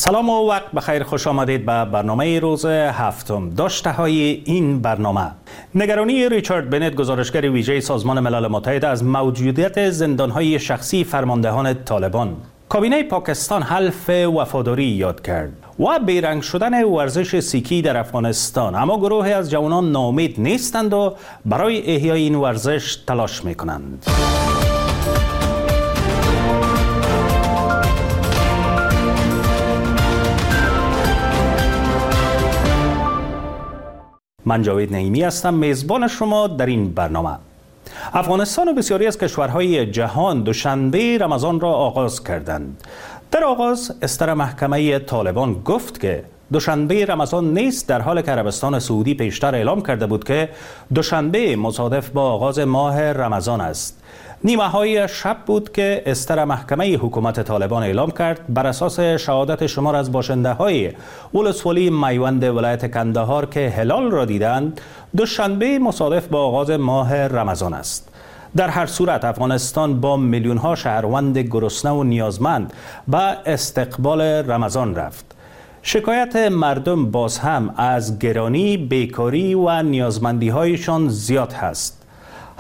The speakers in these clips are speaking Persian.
سلام و وقت بخیر، خوش آمدید به برنامه روز هفتم. داشته های این برنامه: نگرانی ریچارد بنت، گزارشگر ویژه سازمان ملل متحد، از موجودیت زندانهای شخصی فرماندهان طالبان. کابینه پاکستان حلف وفاداری یاد کرد و بیرنگ شدن ورزش سیکی در افغانستان. اما گروهی از جوانان ناامید نیستند و برای احیای این ورزش تلاش میکنند. من جاوید نعیمی هستم، میزبان شما در این برنامه. افغانستان و بسیاری از کشورهای جهان دوشنبه رمضان را آغاز کردند. در آغاز استر محکمه طالبان گفت که دوشنبه رمضان نیست، در حال که عربستان سعودی پیشتر اعلام کرده بود که دوشنبه مصادف با آغاز ماه رمضان است. نیمه های شب بود که استر محکمه حکومت طالبان اعلام کرد بر اساس شهادت شمار از باشنده های ولسوالی میوند ولایت کندهار که هلال را دیدند، دوشنبه مصادف با آغاز ماه رمضان است. در هر صورت افغانستان با میلیون ها شهروند گرسنه و نیازمند به استقبال رمضان رفت. شکایت مردم باز هم از گرانی، بیکاری و نیازمندی هایشان زیاد هست.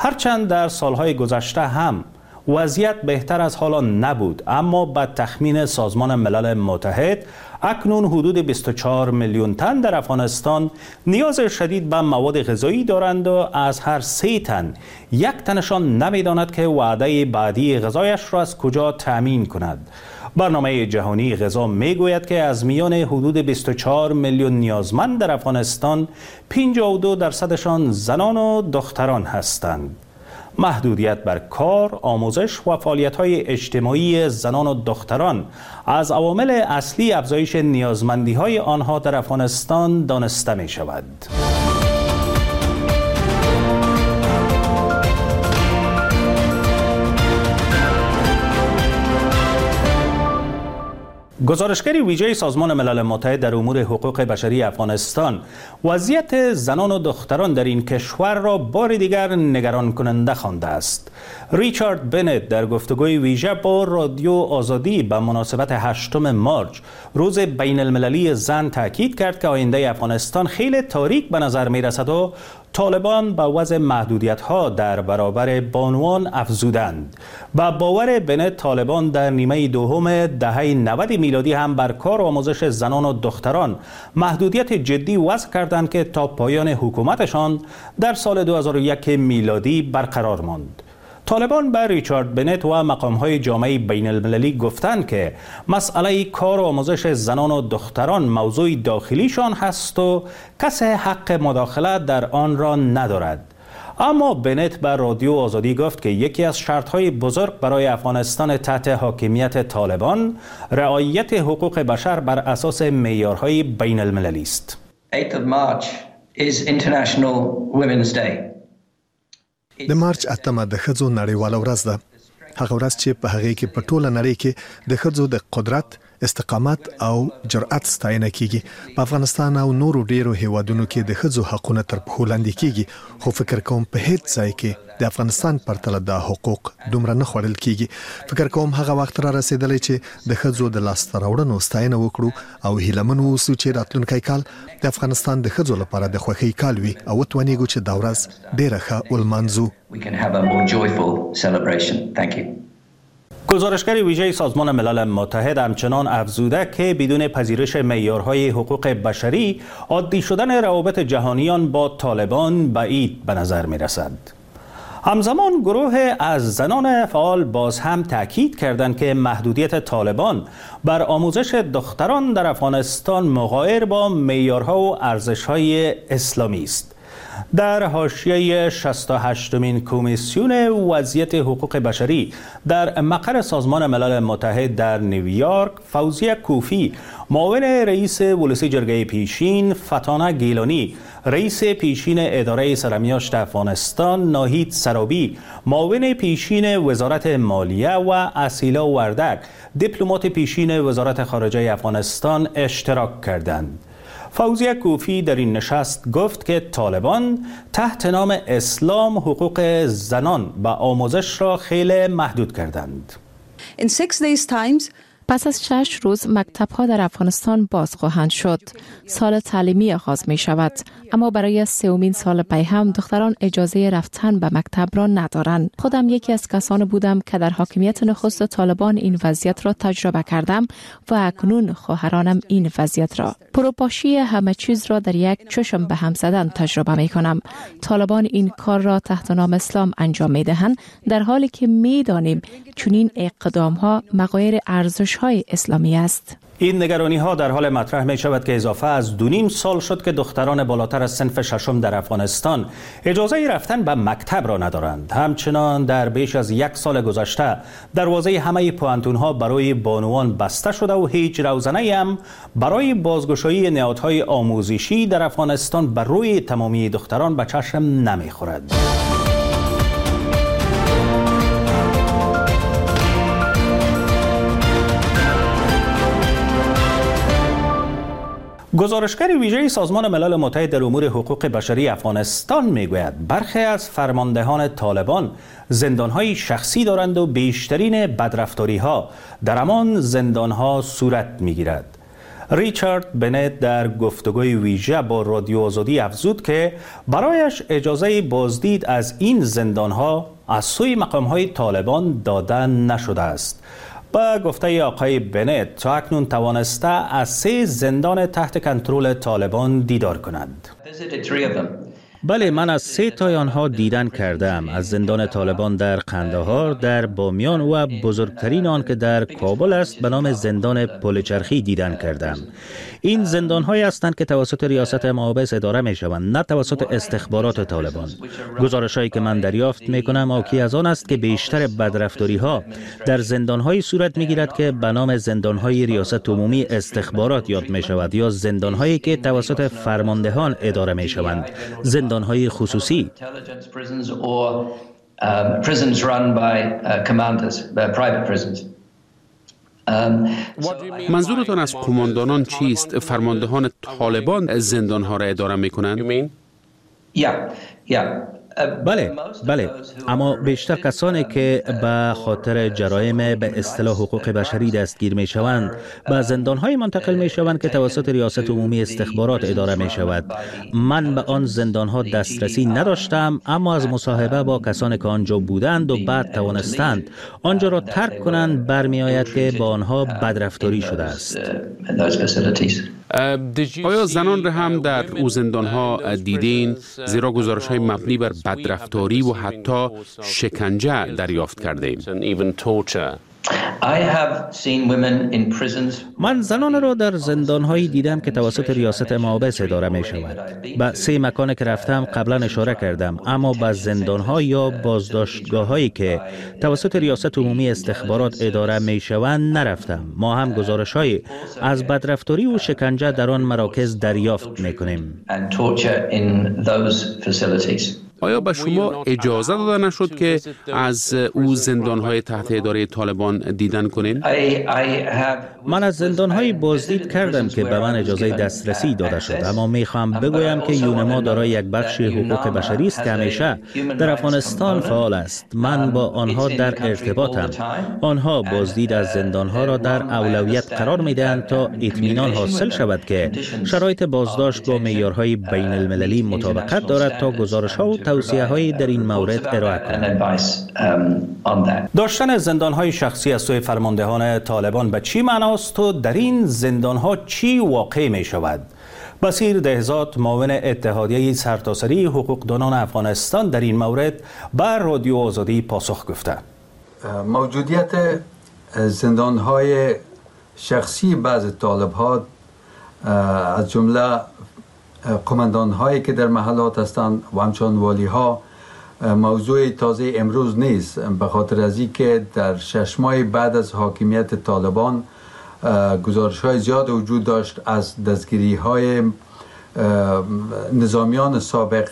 هرچند در سالهای گذشته هم وضعیت بهتر از حالا نبود، اما به تخمین سازمان ملل متحد اکنون حدود 24 میلیون تن در افغانستان نیاز شدید به مواد غذایی دارند و از هر 3 تن یک تنشان نمیداند که وعده بعدی غذایش را از کجا تأمین کند. برنامه جهانی غذا میگوید که از میان حدود 24 میلیون نیازمند در افغانستان 52% زنان و دختران هستند. محدودیت بر کار، آموزش و فعالیت‌های اجتماعی زنان و دختران از عوامل اصلی افزایش نیازمندی‌های آنها در افغانستان دانسته می‌شود. گزارشگر ویژه سازمان ملل متحد در امور حقوق بشری افغانستان وضعیت زنان و دختران در این کشور را بار دیگر نگران کننده خوانده است. ریچارد بنت در گفتگوی ویژه با رادیو آزادی به مناسبت 8 مارچ، روز بین المللی زن، تاکید کرد که آینده افغانستان خیلی تاریک به نظر می رسد و طالبان به وضع محدودیت ها در برابر بانوان افزودند. به باور بنت، طالبان در نیمه دوم دهه 90 میلادی هم بر کار و آموزش زنان و دختران محدودیت جدی وضع کردند که تا پایان حکومتشان در سال 2001 میلادی برقرار ماند. طالبان به ریچارد بنت و مقام‌های جامعه بین المللی گفتند که مسئله کار و آموزش زنان و دختران موضوع داخلیشان هست و کسی حق مداخله در آن را ندارد. اما بنت به رادیو آزادی گفت که یکی از شرط‌های بزرگ برای افغانستان تحت حاکمیت طالبان رعایت حقوق بشر بر اساس معیارهای بین المللی است. 8 March is International Women's Day. د مارچ 8 د ښځو نړیواله ورځ ده، هغه ورځ چې په هغې کې په ټوله نړۍ کې د ښځو د قدرت، استقامت او جرأت ستاینه کیږي. په افغانستان او نورو ډیرو هیوادونو کې د ښځو حقونه تر پښو لاندې کیږي، خو فکر کوم په هیڅ ځای کې د افغانستان پرتله دا حقوق دومره نه خوړل کیږي. فکر کوم هغه وخت را رسیدلی چې د ښځو د لاسته راوړنو ستاینه وکړو او هیله من واوسو چې راتلونکی کال د افغانستان د ښځو لپاره د خوښۍ کال وي او وتوانیږو چې دا ورځ ډیره ښه ولمانځو. We can have a more joyful celebration. Thank you. گزارشگر ویژه سازمان ملل متحد همچنان افزوده که بدون پذیرش معیارهای حقوق بشری، عادی شدن روابط جهانیان با طالبان بعید به نظر می رسد. همزمان گروه از زنان فعال باز هم تاکید کردند که محدودیت طالبان بر آموزش دختران در افغانستان مغایر با معیارها و ارزش‌های اسلامی است. در حاشیه 68مین کمیسیون وضعیت حقوق بشری در مقر سازمان ملل متحد در نیویورک، فوزیه کوفی، معاون رئیس ولسی جرگه پیشین، فتانه گیلانی، رئیس پیشین اداره سرمیاشت افغانستان، ناهید سرابی، معاون پیشین وزارت مالیه و اصیلا وردک، دیپلمات پیشین وزارت خارجه افغانستان اشتراک کردند. فوزیه کوفی در این نشست گفت که طالبان تحت نام اسلام حقوق زنان و آموزش را خیلی محدود کردند. In 6 days times, پس از 6 روز مکتب ها در افغانستان باز خواهند شد. سال تعلیمی آغاز می شود. اما برای سومین سال پی هم دختران اجازه رفتن به مکتب را ندارند. خودم یکی از کسان بودم که در حاکمیت نخست طالبان این وضعیت را تجربه کردم و اکنون خواهرانم این وضعیت را. پروپاشی همه چیز را در یک چشم به هم زدن تجربه می کنم. طالبان این کار را تحت نام اسلام انجام می دهند، در حالی که می دانیم چنین اقدام ها مغایر ارزش های اسلامی است. این نگرانی ها در حال مطرح می شود که اضافه از 2.5 سال شد که دختران بالاتر از صنف ششم در افغانستان اجازه رفتن به مکتب را ندارند. همچنان در بیش از 1 سال گذشته دروازه همه پوهنتون ها برای بانوان بسته شده و هیچ روزنه هم برای بازگشایی نهادهای آموزشی در افغانستان بر روی تمامی دختران به چشم نمی خورد. گزارشگر ویژه سازمان ملل متحد در امور حقوق بشری افغانستان میگوید برخی از فرماندهان طالبان زندان‌های شخصی دارند و بیشترین بدرفتاری‌ها در همان زندان‌ها صورت می‌گیرد. ریچارد بنت در گفتگوی ویژه با رادیو آزادی افزود که برایش اجازه بازدید از این زندان‌ها از سوی مقام‌های طالبان داده نشده است. با گفته آقای بنت تا اکنون توانسته از 3 زندان تحت کنترل طالبان دیدار کند. بله، من از 3 تای آنها دیدن کردم. از زندان طالبان در قندهار، در بامیان و بزرگترین آن که در کابل است به نام زندان پلچرخی دیدن کردم. این زندان هایی هستند که توسط ریاست محابس اداره می شوند، نه توسط استخبارات طالبان. گزارش هایی که من دریافت می کنم حاکی از آن است که بیشتر بدرفتاری ها در زندان های صورت می گیرد که به نام زندان های ریاست عمومی استخبارات یاد می شود یا زندان هایی که توسط فرماندهان اداره می شوند، زندان‌های خصوصی. منظورتان از قماندانان چیست؟ فرماندهان طالبان زندان‌ها را اداره می‌کنند؟ بله، اما بیشتر کسانی که به خاطر جرایم به اصطلاح حقوق بشری دستگیر می شوند به زندان‌های منتقل می شوند که توسط ریاست عمومی استخبارات اداره می شود. من به آن زندان‌ها دسترسی نداشتم، اما از مصاحبه با کسانی که آنجا بودند و بعد توانستند آنجا را ترک کنند برمی آید که با آنها بدرفتاری شده است. آیا زنان را هم در او زندان‌ها دیدین؟ زیرا گزارش‌های مبنی بر بدرفتاری و حتی شکنجه دریافت کرده ایم. من زنان را در زندان‌هایی دیدم که توسط ریاست محابس اداره می شود. به 3 مکان که رفتم قبلا اشاره کردم، اما به زندان‌ها یا بازداشتگاه‌هایی که توسط ریاست عمومی استخبارات اداره می شوند نرفتم. ما هم گزارش‌های از بدرفتاری و شکنجه در آن مراکز دریافت می کنیم. آیا به شما اجازه داده نشد که از او زندان‌های تحت اداره طالبان دیدن کنین؟ من از زندان‌های بازدید کردم که به من اجازه دسترسی داده شد، اما می‌خوام بگویم که یونما دارای یک بخش حقوق بشری است که همیشه در افغانستان فعال است. من با آنها در ارتباطم. آنها بازدید از زندان‌ها را در اولویت قرار می‌دهند تا اطمینان حاصل شود که شرایط بازداشت با معیارهای بین المللی مطابقت دارد تا گزارش‌ها و توصیه‌هایی در این مورد ارائه کنند. داشتن زندان‌های شخصی از سوی فرماندهان طالبان به چی معناست و در این زندان‌ها چی واقع می شود؟ بصیر دهزاد، معاون اتحادیه سرتاسری حقوقدانان افغانستان، در این مورد به رادیو آزادی پاسخ گفته. موجودیت زندان‌های شخصی بعض طالب‌ها از جمله قماندان هایی که در محلات هستند و همچنان والی ها موضوع تازه امروز نیست، به خاطر از اینکه در 6 ماه بعد از حاکمیت طالبان گزارش های زیاد وجود داشت از دستگیری های نظامیان سابق،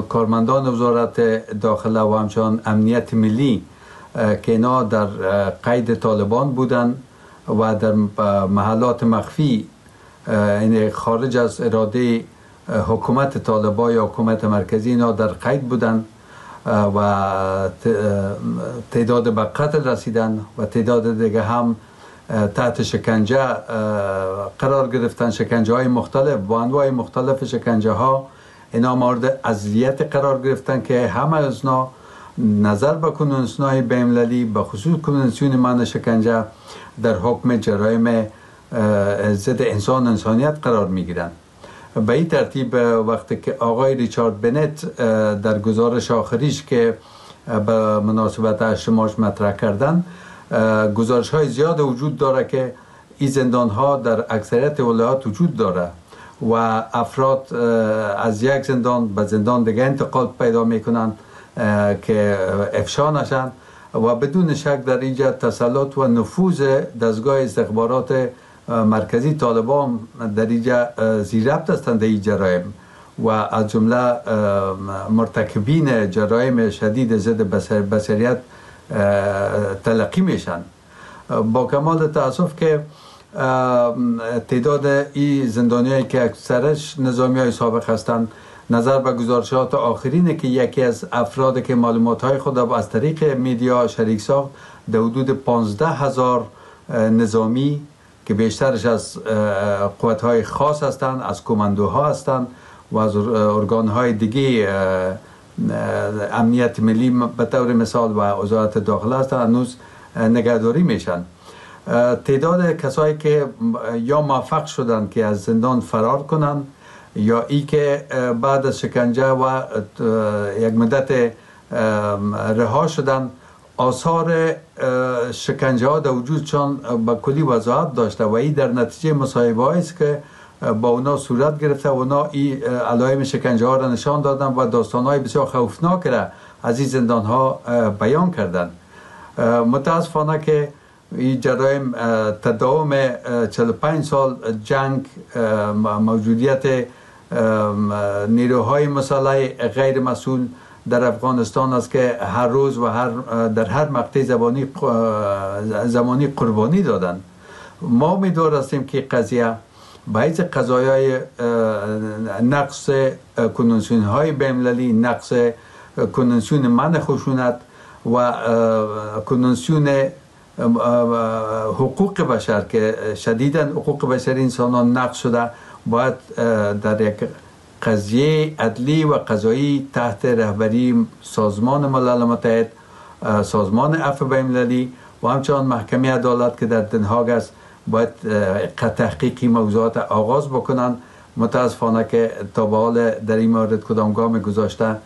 کارمندان وزارت داخله و همچنان امنیت ملی که اینا در قید طالبان بودند و در محلات مخفی، یعنی خارج از اراده حکومت طالبان یا حکومت مرکزی، اینا در قید بودند و تعداد به قتل رسیدن و تعداد دیگه هم تحت شکنجه قرار گرفتن، شکنجه های مختلف با انواع مختلف شکنجه ها اینا مورد اذیت قرار گرفتن که همه از اینا نظر به کنوانسیون های بین المللی، به خصوص کنوانسیون منع شکنجه، در حکم جرایم ضد انسان انسانیت قرار میگیرن. به این ترتیب وقتی که آقای ریچارد بنت در گزارش آخریش که به مناسبت 8 مارس مطرح کردن، گزارش های زیاد وجود داره که این زندان ها در اکثریت ولایات وجود داره و افراد از یک زندان به زندان دیگه انتقال پیدا میکنن که افشا نشن و بدون شک در اینجا تسلط و نفوذ دستگاه استخبارات مرکزی طالبان در اینجا زیربط هستند در این جرایم و از جمله مرتکبین جرایم شدید ضد بشریت تلقی میشن. با کمال تاسف که تعداد این زندانیایی که اکثرش نظامی های سابق هستند، نظر به گزارشات آخرینه که یکی از افراد که معلومات های خود از طریق میدیا شریک ساخت، در حدود 15,000 نظامی که بیشترش از قوت های خاص هستند، از کماندوها هستند و از ارگان های دیگه امنیت ملی به طور مثال و وزارت داخله هستند، هنوز نگهداری میشن. تعداد کسایی که یا موفق شدند که از زندان فرار کنند یا ای که بعد از شکنجه و یک مدت رها شدن، آثار شکنجه ها در وجودشان به کلی وضاحت داشته و این در نتیجه مصاحبه است که با اونا صورت گرفته و اونا این علائم شکنجه ها را نشان دادن و داستان های بسیار خوفناک را از این زندان ها بیان کردن. متاسفانه که این جرایم تداوم 45 سال جنگ، موجودیت نیروهای مسلح غیر مسئول در افغانستان است که هر روز و در هر مقطع زمانی قربانی دادن. ما امیدوار هستیم که قضیه به حیث قضایای نقص کنوانسیون های بین المللی، نقص کنوانسیون منع خشونت و کنوانسیون حقوق بشر که شدیداً حقوق بشر انسانان نقض شده، باید در یک قضیه عدلی و قضایی تحت رهبری سازمان ملل متحد، سازمان عفو بین المللی و همچنان محکمه عدالت که در دنهاگ است، باید تحقیقی موضوعات آغاز بکنن. متاسفانه که تا به حال در این مورد کدام گام گذاشته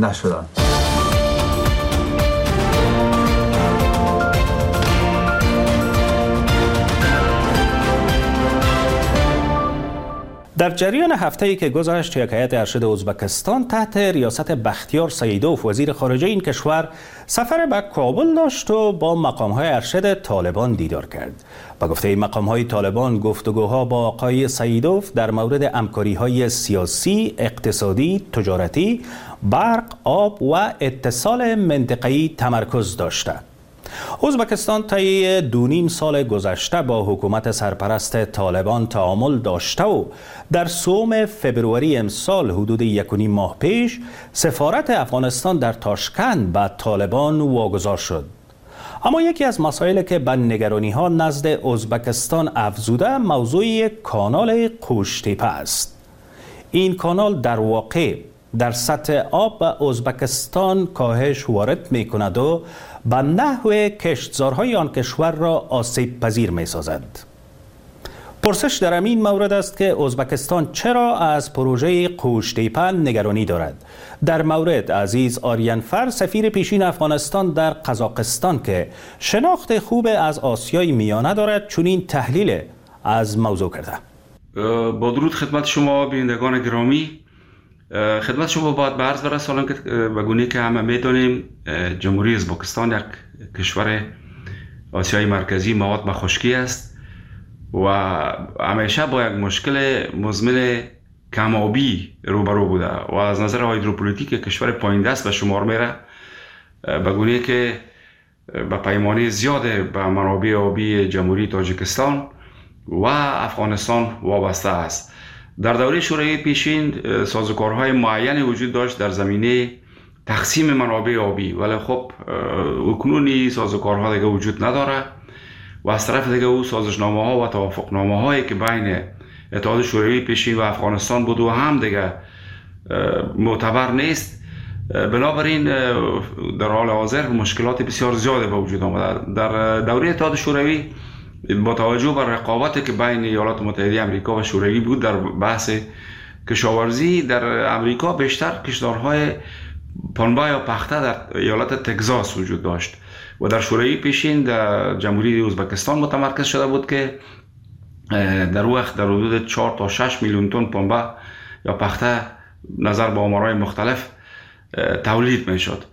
نشدن. در جریان هفته‌ای که گذشت، یک هیئت ارشد ازبکستان تحت ریاست بختیار سعیدوف وزیر خارجه این کشور سفر به کابل داشت و با مقام‌های ارشد طالبان دیدار کرد. با گفته مقام‌های طالبان، گفتگوها با آقای سعیدوف در مورد همکاری‌های سیاسی، اقتصادی، تجارتی، برق، آب و اتصال منطقه‌ای تمرکز داشته. ازبکستان طی 2.5 سال گذشته با حکومت سرپرست طالبان تعامل داشته و در 3 فبروری امسال، حدود 1.5 ماه پیش، سفارت افغانستان در تاشکند به طالبان واگذار شد. اما یکی از مسائل که به نگرانی ها نزد ازبکستان افزوده، موضوع کانال قوشتیپه است. این کانال در واقع در سطح آب به ازبکستان کاهش وارد می کند و به نحو کشتزارهای آن کشور را آسیب پذیر می سازد. پرسش در این مورد است که ازبکستان چرا از پروژه قوشتیپه نگرانی دارد. در مورد عزیز آریانفر، سفیر پیشین افغانستان در قزاقستان که شناخت خوب از آسیای میانه دارد، چنین تحلیل از موضوع کرده. با درود خدمت شما بینندگان گرامی، خدمت شما باید به عرض برسانم که به گونه که همه میدانیم جمهوری ازبکستان یک کشور آسیای مرکزی مواد به خشکی است و همیشه با یک مشکل مزمن کمابی روبرو بوده و از نظر هایدروپولیتیک کشور پایین دست به شمار میره، به گونه که به پیمانه زیاد به منابع آبی جمهوری تاجیکستان و افغانستان وابسته است. در دوره شوروی پیشین سازوکارهای معین وجود داشت در زمینه تقسیم منابع آبی، ولی خب اکنون این سازوکارها دیگه وجود نداره و از طرف دیگه او سازشنامه ها و توافقنامه هایی که بین اتحاد شوروی پیشین و افغانستان بود و هم دیگه معتبر نیست. بنابراین در حال حاضر مشکلات بسیار زیاد به وجود آمده. در دوره اتحاد شوروی با توجه به رقابتی که بین ایالات متحده آمریکا و شوروی بود در بحث کشاورزی، در امریکا بیشتر کشتارهای پنبه یا پخته در ایالت تگزاس وجود داشت و در شوروی پیشین در جمهوری ازبکستان متمرکز شده بود که در وقت در حدود 4 تا 6 میلیون تن پنبه یا پخته نظر به آمارهای مختلف تولید میشد.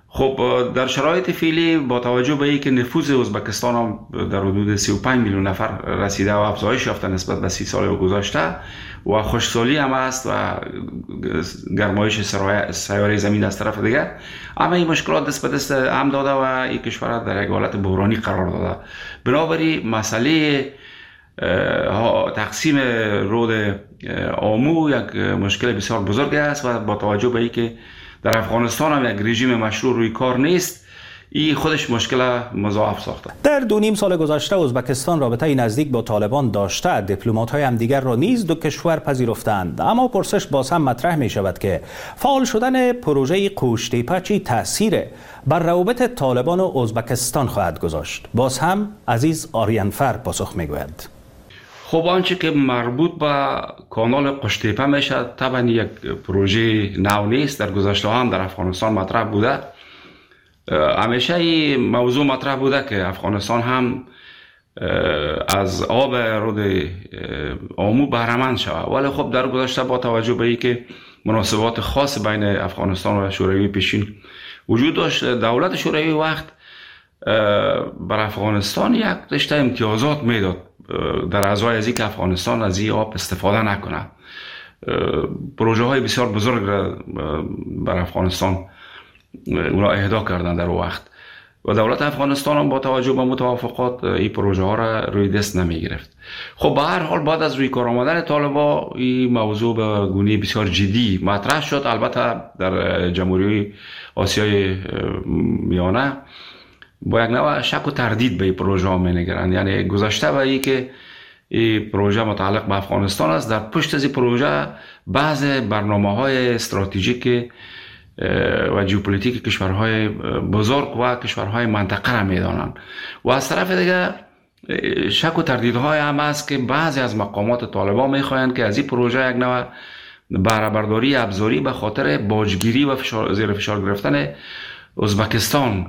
خب در شرایط فعلی با توجه به اینکه نفوذ ازبکستان هم در حدود 35 میلیون نفر رسیده و افزایش یافته نسبت به 30 سال گذشته و خشکسالی هم است و گرمایش سیاره زمین از طرف دیگه، اما این مشکلات دست به دست هم داده و این کشور در یک حالت بحرانی قرار داده. بنابراین مسئله تقسیم رود آمو یک مشکل بسیار بزرگ است و با توجه به اینکه در افغانستان هم یک رژیم مشروع روی کار نیست، این خودش مشکل مضاعف ساخته. در 2.5 سال گذشته ازبکستان رابطه نزدیک با طالبان داشته، دیپلمات‌های همدیگر را نیز دو کشور پذیرفتند. اما پرسش باز هم مطرح می شود که فعال شدن پروژه قوشتیپه چی تاثیر بر روابط طالبان و ازبکستان خواهد گذاشت؟ باز هم عزیز آریانفر پاسخ می گوید. خب آنچه که مربوط به کانال قوشتیپه میشه طبعا یک پروژه نو نیست، در گذشته هم در افغانستان مطرح بوده. همیشه این موضوع مطرح بوده که افغانستان هم از آب رود آمو بهره‌مند شود، ولی خب در گذشته با توجه به اینکه مناسبات خاص بین افغانستان و شوروی پیشین وجود داشت، دولت شوروی وقت بر افغانستان یک رشته امتیازات میداد در ازای از اینکه افغانستان از این آب استفاده نکنه. پروژه های بسیار بزرگ را بر افغانستان اونا اهدا کردن در وقت و دولت افغانستان هم با توجه به متوافقات این پروژه ها را روی دست نمی گرفت. خب به هر حال بعد از روی کار آمدن طالبا این موضوع به گونه بسیار جدی مطرح شد. البته در جمهوری آسیای میانه با یک نوع شک و تردید به این پروژه ها می نگرند، یعنی گذشته به این که این پروژه متعلق به افغانستان است، در پشت از این پروژه بعض برنامه های استراتژیک و ژئوپلیتیک کشورهای بزرگ و کشورهای منطقه را میدانند و از طرف دیگه شک و تردیدهای هم است که بعضی از مقامات طالبان میخواهند که از این پروژه یک نوع بهره برداری ابزاری به خاطر باجگیری و زیر فشار گرفتن ازبکستان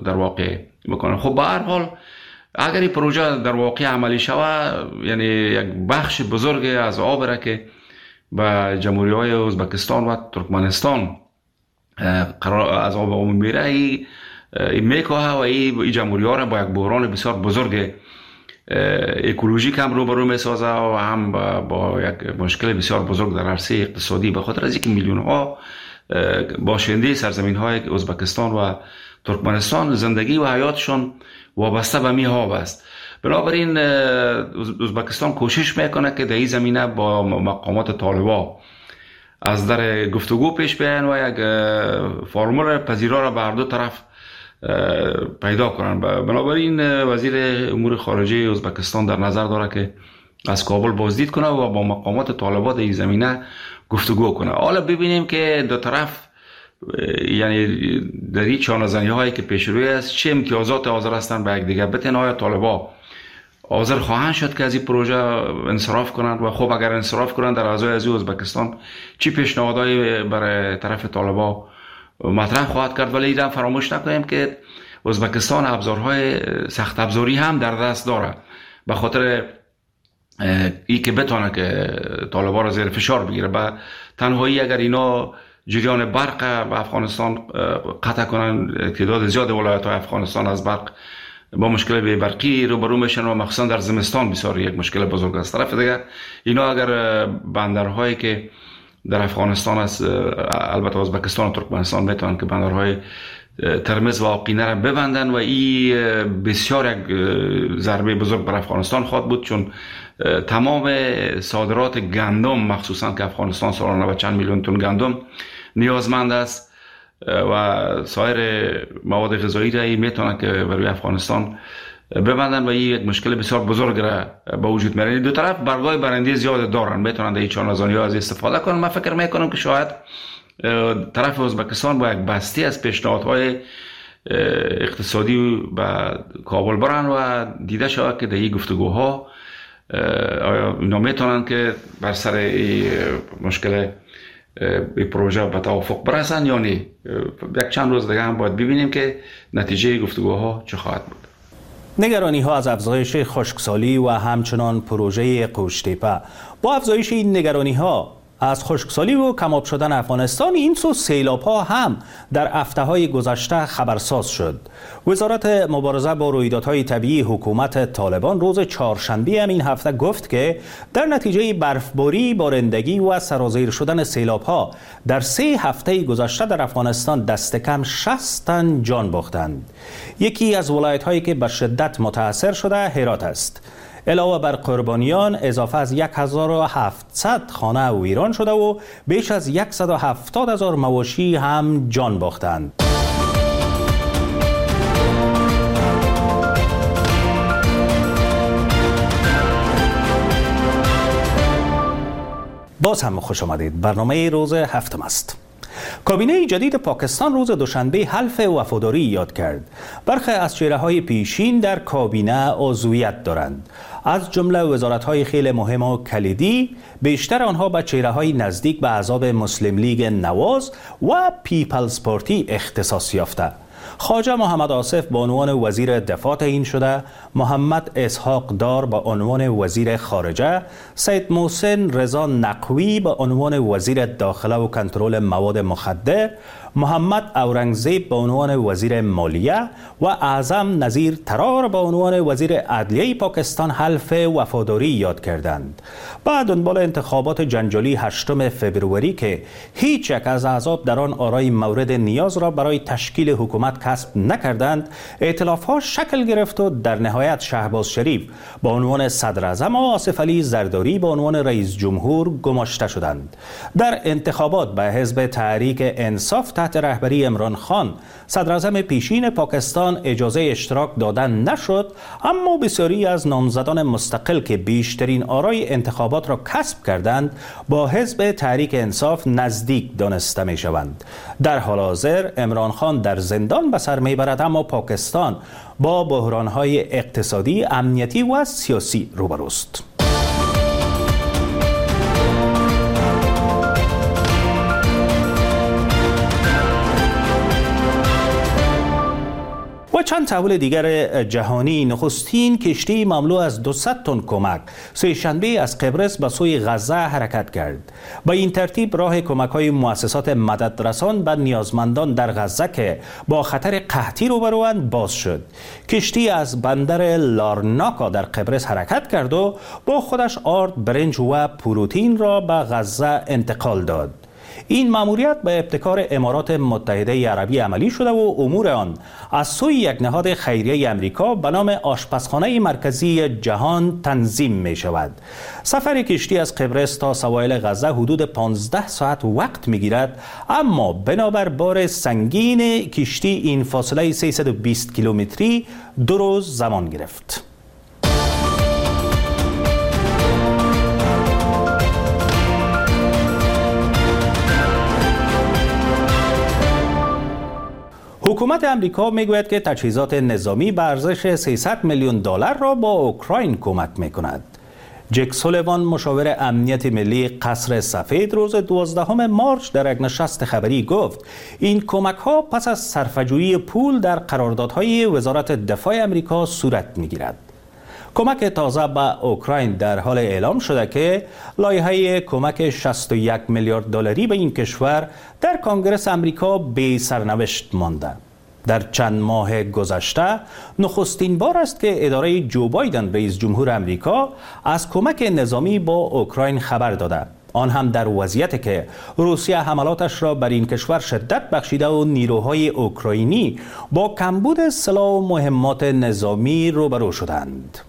در واقع بکنن. خب به هر حال اگر این پروژه در واقع عملی شود، یعنی یک بخش بزرگ از آب را که به جمهوری های ازبکستان و ترکمنستان قرار از آب عمومی میره این میکاهه و این جمهوری ها را با یک بحران بسیار بزرگ اکولوژیک هم روبرو میسازه و هم با یک مشکل بسیار بزرگ در عرصه اقتصادی، به خاطر از اینکه میلیون ها باشنده سرزمین های ازبکستان و ترکمنستان زندگی و حیاتشان وابسته به می آب است. بنابراین ازبکستان کوشش میکنه که در این زمینه با مقامات طالبان از در گفتگو پیش بیاین و یک فرمول پذیرا را به هر دو طرف پیدا کنند. بنابراین وزیر امور خارجه ازبکستان در نظر داره که از کابل بازدید کنه و با مقامات طالبان در این زمینه گفتگو کنه. حالا ببینیم که دو طرف یعنی در این چانه‌زنی هایی که پیش روی است چه امتیازات حاضر هستند به یکدیگر بتن. آیا طالبان حاضر خواهند شد که از این پروژه انصراف کنند و خب اگر انصراف کنند در ازای از ازبکستان چی پیشنهادهایی برای طرف طالبان مطرح خواهد کرد؟ ولی اینم فراموش نکنیم که ازبکستان ابزارهای سخت ابزاری هم در دست داره به خاطر ای که بتونه که طالبان را زیر فشار بگیره. به تنهایی اگر اینا جریان برق به افغانستان قطع کنن، تعداد زیاد ولایت های افغانستان از برق با مشکل بی برقی روبرو میشن و مخصوصا در زمستان بسیار یک مشکل بزرگ است. طرف دیگه اینا اگر بندرهایی که در افغانستان است، البته ازبکستان و ترکمنستان میتونن که بندرهای ترمز و آقینه را ببندن و این بسیار یک ضربه بزرگ بر افغانستان خواهد بود، چون تمام صادرات گندم مخصوصا که افغانستان سالانه به چند میلیون تن گندم نیازمند است و سایر مواد غذایی را میتونن که برای افغانستان ببندن و این یک مشکل بسیار بزرگ را به وجود میاره. دو طرف برگای برنده زیاد دارن، میتونن در این چانه‌زنی ها از استفاده کنن. من فکر میکنم که شاید طرف ازبکستان با یک بستی از پیشنهادهای اقتصادی به کابل برن و دیده شود که در این گفتگوها آیا اینا میتونن که بر سر این مشکل این پروژه به توافق برسن یا نه. یک چند روز دیگه هم باید ببینیم که نتیجه گفتگوها چه خواهد بود. نگرانی ها از افزایش خشکسالی و همچنان پروژه قوشتیپه. با افزایش این نگرانی ها از خشکسالی و کماب شدن افغانستان، این سو سیلاب ها هم در هفته های گذشته خبرساز شد. وزارت مبارزه با رویدادهای طبیعی حکومت طالبان روز چهارشنبه هم این هفته گفت که در نتیجه برفباری، بارندگی و سرازیر شدن سیلاب ها در 3 هفته گذشته در افغانستان دست کم 60 تن جان باختند. یکی از ولایت هایی که به شدت متاثر شده هرات است. علاوه بر قربانیان، اضافه از 1700 خانه ویران شده و بیش از 170,000 مواشی هم جان باختند. باز هم خوش آمدید. برنامه روز هفتم است. کابینه جدید پاکستان روز دوشنبه حلف وفاداری یاد کرد. برخی از چهره‌های پیشین در کابینه عضویت دارند، از جمله وزارت‌های خیلی مهم و کلیدی. بیشتر آنها به چهره‌های نزدیک به احزاب مسلم لیگ نواز و پیپلز پارتی اختصاص یافته. خواجه محمد آصف به عنوان وزیر دفاع تعیین شده، محمد اسحاق دار به عنوان وزیر خارجه، سید محسن رضا نقوی به عنوان وزیر داخله و کنترل مواد مخدر، محمد اورنگزیب به عنوان وزیر مالیه و اعظم نظیر ترار به عنوان وزیر عدلیه پاکستان حلف وفاداری یاد کردند. بعد دنبال انتخابات جنجالی 8 فبروری که هیچ یک از احزاب در آن آرای مورد نیاز را برای تشکیل حکومت کسب نکردند، ائتلاف‌ها شکل گرفت و در نهایت شهباز شریف به عنوان صدر اعظم و آصف علی زرداری به عنوان رئیس جمهور گماشته شدند. در انتخابات به حزب تحریک انصاف تحت رهبری عمران خان، صدر اعظم پیشین پاکستان، اجازه اشتراک دادن نشد، اما بسیاری از نامزدان مستقل که بیشترین آرای انتخابات را کسب کردند با حزب تحریک انصاف نزدیک دانسته می شوند. در حال حاضر عمران خان در زندان به سر می برد، اما پاکستان با بحران‌های اقتصادی، امنیتی و سیاسی روبروست. و چند تحول دیگر جهانی. نخستین کشتی مملو از 200 تن کمک سه‌شنبه از قبرس به سوی غزه حرکت کرد. با این ترتیب راه کمک‌های مؤسسات مددرسان به نیازمندان در غزه که با خطر قحطی روبروند باز شد. کشتی از بندر لارناکا در قبرس حرکت کرد و با خودش آرد، برنج و پروتئین را به غزه انتقال داد. این ماموریت به ابتکار امارات متحده عربی عملی شده و امور آن از سوی یک نهاد خیریه امریکا به نام آشپزخانه مرکزی جهان تنظیم می شود. سفر کشتی از قبرس تا سواحل غزه حدود 15 ساعت وقت می گیرد، اما بنابر بار سنگین کشتی این فاصله 320 کیلومتری 2 روز زمان گرفت. حکومت امریکا میگوید که تجهیزات نظامی به ارزش 300 میلیون دلار را با اوکراین کمک میکند. جک سولیوان، مشاور امنیت ملی قصر سفید، روز 12 مارچ در یک نشست خبری گفت این کمک ها پس از صرفه‌جویی پول در قراردادهای وزارت دفاع امریکا صورت میگیرد. کمک تازه به اوکراین در حال اعلام شده که لایحه کمک 61 میلیارد دلاری به این کشور در کانگرس امریکا بی سرنوشت مانده. در چند ماه گذشته نخستین بار است که اداره جو بایدن رئیس جمهور امریکا از کمک نظامی با اوکراین خبر داده، آن هم در وضعیتی که روسیه حملاتش را بر این کشور شدت بخشیده و نیروهای اوکراینی با کمبود سلاح و مهمات نظامی روبرو شدند.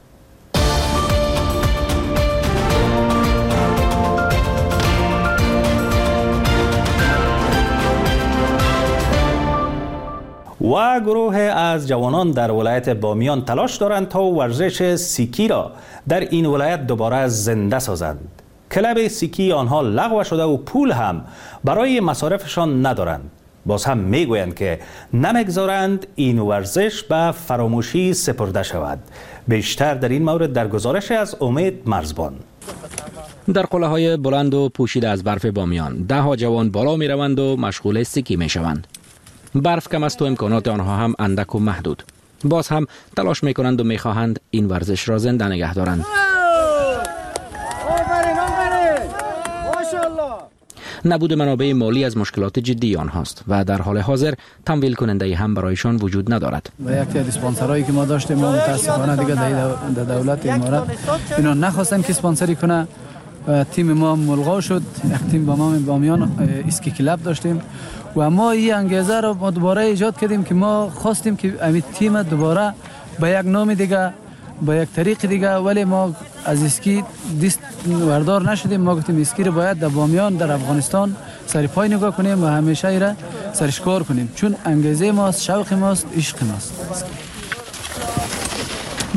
و گروه از جوانان در ولایت بامیان تلاش دارند تا ورزش سیکی را در این ولایت دوباره زنده سازند. کلب سیکی آنها لغو شده و پول هم برای مصارفشان ندارند. باز هم میگویند که نمیگذارند این ورزش به فراموشی سپرده شود. بیشتر در این مورد در گزارش از امید مرزبان. در قله های بلند و پوشیده از برف بامیان ده ها جوان بالا می روند و مشغول سکی می شوند. برف کم است و امکانات آنها هم اندک و محدود. باز هم تلاش می کنند و می خواهند این ورزش را زنده نگه دارند. نبود منابع مالی از مشکلات جدی آنهاست و در حال حاضر تمویل کننده هم برایشان وجود ندارد. و یکی از اسپانسرایی که ما داشتیم ما متاسفانه دیگه در دولت امارات اینا نخواستن که اسپانسری کنه. تیم ما ملغا شد. یک تیم با ما بامیان اسکی کلاب داشتیم و ما این انگیزه رو ما دوباره ایجاد کردیم که ما خواستیم که همین تیم دوباره با یک نام دیگه، با یک طریق دیگه، ولی ما از اسکی دست وردار نشدیم. ما گفتیم اسکی رو باید در بامیان در افغانستان سر پای نگاه کنیم و همیشه ایره سرش کار کنیم، چون انگیزه ماست، شوق ماست، عشق ماست.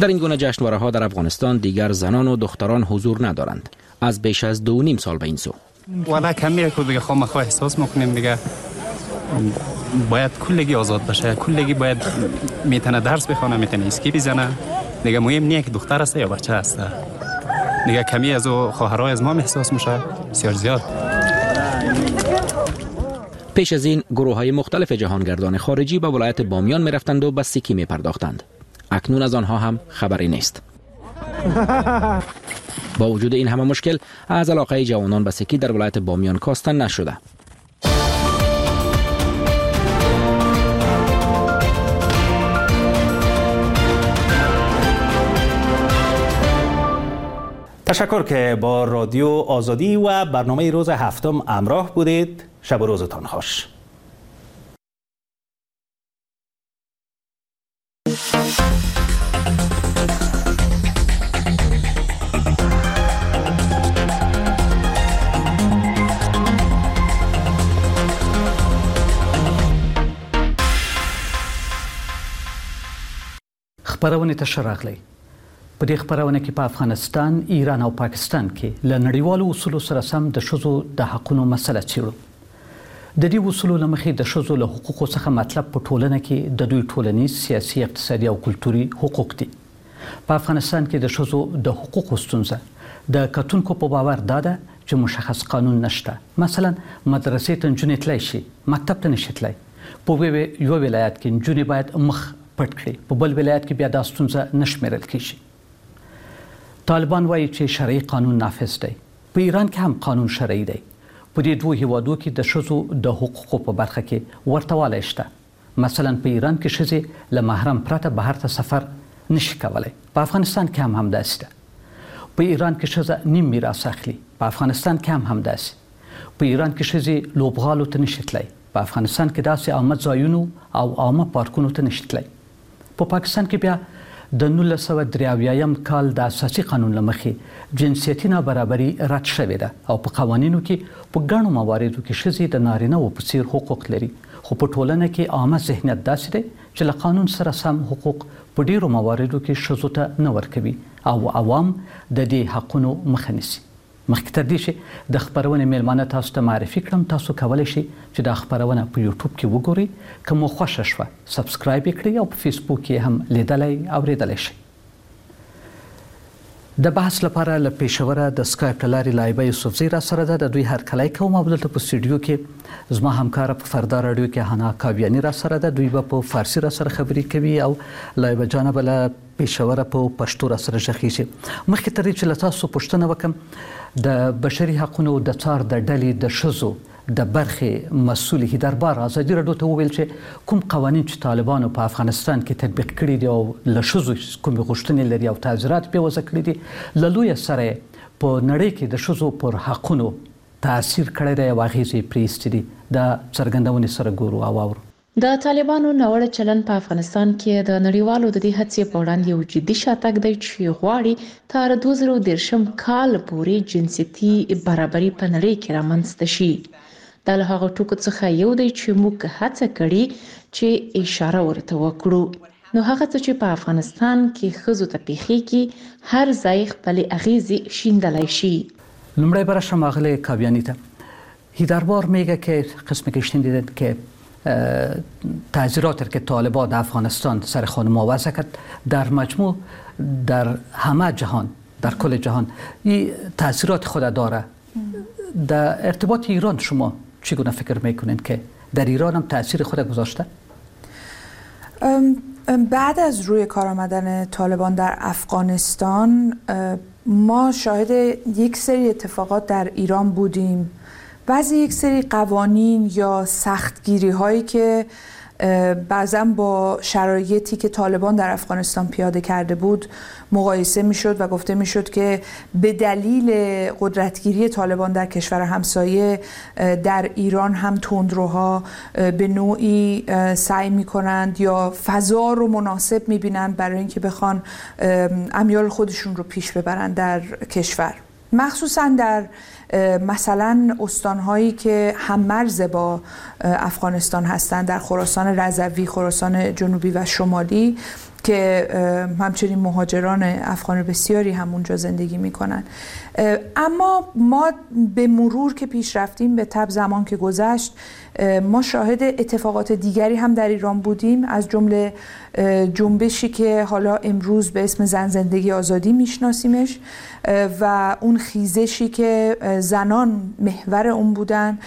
در این گونه جشنواره‌ها در افغانستان دیگر زنان و دختران حضور ندارند. از بیش از 2.5 سال به این سو والا کمیه که دیگه خامخواه احساس میکنیم دیگه باید کلگی آزاد باشه، کلگی باید میتونه درس بخونه، میتونه اسکی بزنه، دیگه مهم نیه که دختر است یا بچه است. دیگه کمی از او خواهرای از ما احساس میشه بسیار زیاد. پیش از این گروه های مختلف جهانگردان خارجی به ولایت بامیان میرفتند و به سیکی میپرداختند. اکنون از آنها هم خبری نیست. با وجود این همه مشکل از علاقه جوانان به سکی در ولایت بامیان کاسته نشده. تشکر که با رادیو آزادی و برنامه روز هفتم همراه بودید. شب و روزتان خوش. خپرونې ته ښه راغلی. په دې خپرونه کې په افغانستان، ایران او پاکستان کې له نړیوالو اصولو سره سم د ښځو د حقونو مسله څېړو. د دې اصولو له مخې د ښځو له حقوقو څخه مطلب په ټولنه کې د دوی ټولنیز، سیاسي، اقتصادي او کلتوري حقوق دي. په افغانستان کې د ښځو د حقوقو ستونزه د کتونکو په باور دا ده چې مشخص قانون نشته. مثلا مدرسې ته نجونې تلای شي، مکتب ته نشي تلای. په یو ولایت کې نجونې باید مخ پټ کړي، په بل ولایت کې بیا دا ستونزه نه شمېرل کېږي. طالبان وایي چې شرعي قانون نافذ دی. په ایران کې هم قانون شرعي دی. په دې دوو هیوادو کې د ښځو د حقوقو په برخه کې ورته والی شته. مثلا په ایران کې ښځې له محرم پرته بهر ته سفر نشي کولی. په افغانستان کې هم همداسې ده. په ایران کې ښځه نیم میراث اخلي، په افغانستان کې هم همداسې. په ایران کې ښځې لوبغالو ته نشي تللی، په افغانستان کې داسې عامه ځایونو او عامه پارکونو ته نشي تللی. په پاکستان کې بیا د 1973 کال د اساسي قانون له مخې جنسیتي نابرابري رد شوې ده او په قوانینو کې په ګڼو مواردو کې ښځې د نارینه وو په څیر حقوق لري، خو په ټولنه کې عامه ذهنیت داسې دی چې له قانون سره سم حقوق په ډیرو مواردو کې ښځو ته نه ورکوي او عوام د دې حقونو مخه نیسي. مخکې تر دې چې د خپرونې میلمانه تاسو ته معرفي کړم، تاسو کولی شئ چې دا خپرونه په یوټیوب کې وګورئ. که مو خوښه شوه subscribe یې کړئ او په فیسبوک کې هم لیدلی اورېدلی شئ. د بحث لپاره له پېښوره د سکایپ له لارې لایبه یوسفزۍ را سره ده. د دوی هرکلی کوم او دلته په سټډیو کې زما همکاره په فردا راډیو کې حنا کاویاني را سره ده. دوی به په فارسي را سره خبرې کوي او لایبه جانه به له پېښوره په پښتو را سره غږېږي. مخکې تر دې چې له تاسو پوښتنه وکړم، د بشري حقونو د څار د ډلې د ښځو د برخې مسؤل هیدربار ازادي راډیو ته وویل چې کوم قوانین چې طالبانو په افغانستان کې تطبیق کړي دي او له ښځو کومې غوښتنې لري او تعزیرات پرې وضع کړي دي، له لویه سره په نړۍ کې د ښځو پر حقونو تاثیر کړی دی او اغېزې یې پرې ایستې دي. دا څرګندونې سره ګورو او اورو. د طالبانو ناوړه چلند په افغانستان کې د نړیوالو د دې هڅې په وړاندې یو جدي شاتګ دی چې غواړي تر 2030 کال پورې جنسیتي برابري په نړۍ کې رامنځته شي. د دا له هغو ټکو څخه یو دی چې موږ هڅه کړې چې اشاره ورته وکړو. نو هغه څه چې په افغانستان کې ښځو ته پېښېږي، هر ځای خپلې اغېزې شیندلای شي. لومړی به راشم آغلې کاویاني ته. هیدربار میگه که قسمی که شنیدید که تعزیرات که طالبان در افغانستان سر خانم‌ها وضع کرد، در مجموع در همه جهان، در کل جهان این تاثیرات خود داره. در ارتباط ایران شما چگونه فکر میکنید که در ایران هم تاثیر خود گذاشته؟ بعد از روی کار آمدن طالبان در افغانستان ما شاهد یک سری اتفاقات در ایران بودیم. بعضی یک سری قوانین یا سختگیری هایی که بعضا با شرایطی که طالبان در افغانستان پیاده کرده بود مقایسه میشد و گفته میشد که به دلیل قدرتگیری طالبان در کشور همسایه در ایران هم تندروها به نوعی سعی میکنند یا فضا رو مناسب میبینند برای اینکه بخوان امیال خودشون رو پیش ببرند در کشور، مخصوصا در مثلا استان‌هایی که هم مرز با افغانستان هستند، در خراسان رضوی، خراسان جنوبی و شمالی که همچنین مهاجران افغان بسیاری هم اونجا زندگی میکنن. اما ما به مرور که پیش رفتیم، به تبع زمان که گذشت، ما شاهد اتفاقات دیگری هم در ایران بودیم، از جمله جنبشی که حالا امروز به اسم زن زندگی آزادی میشناسیمش و اون خیزشی که زنان محور اون بودن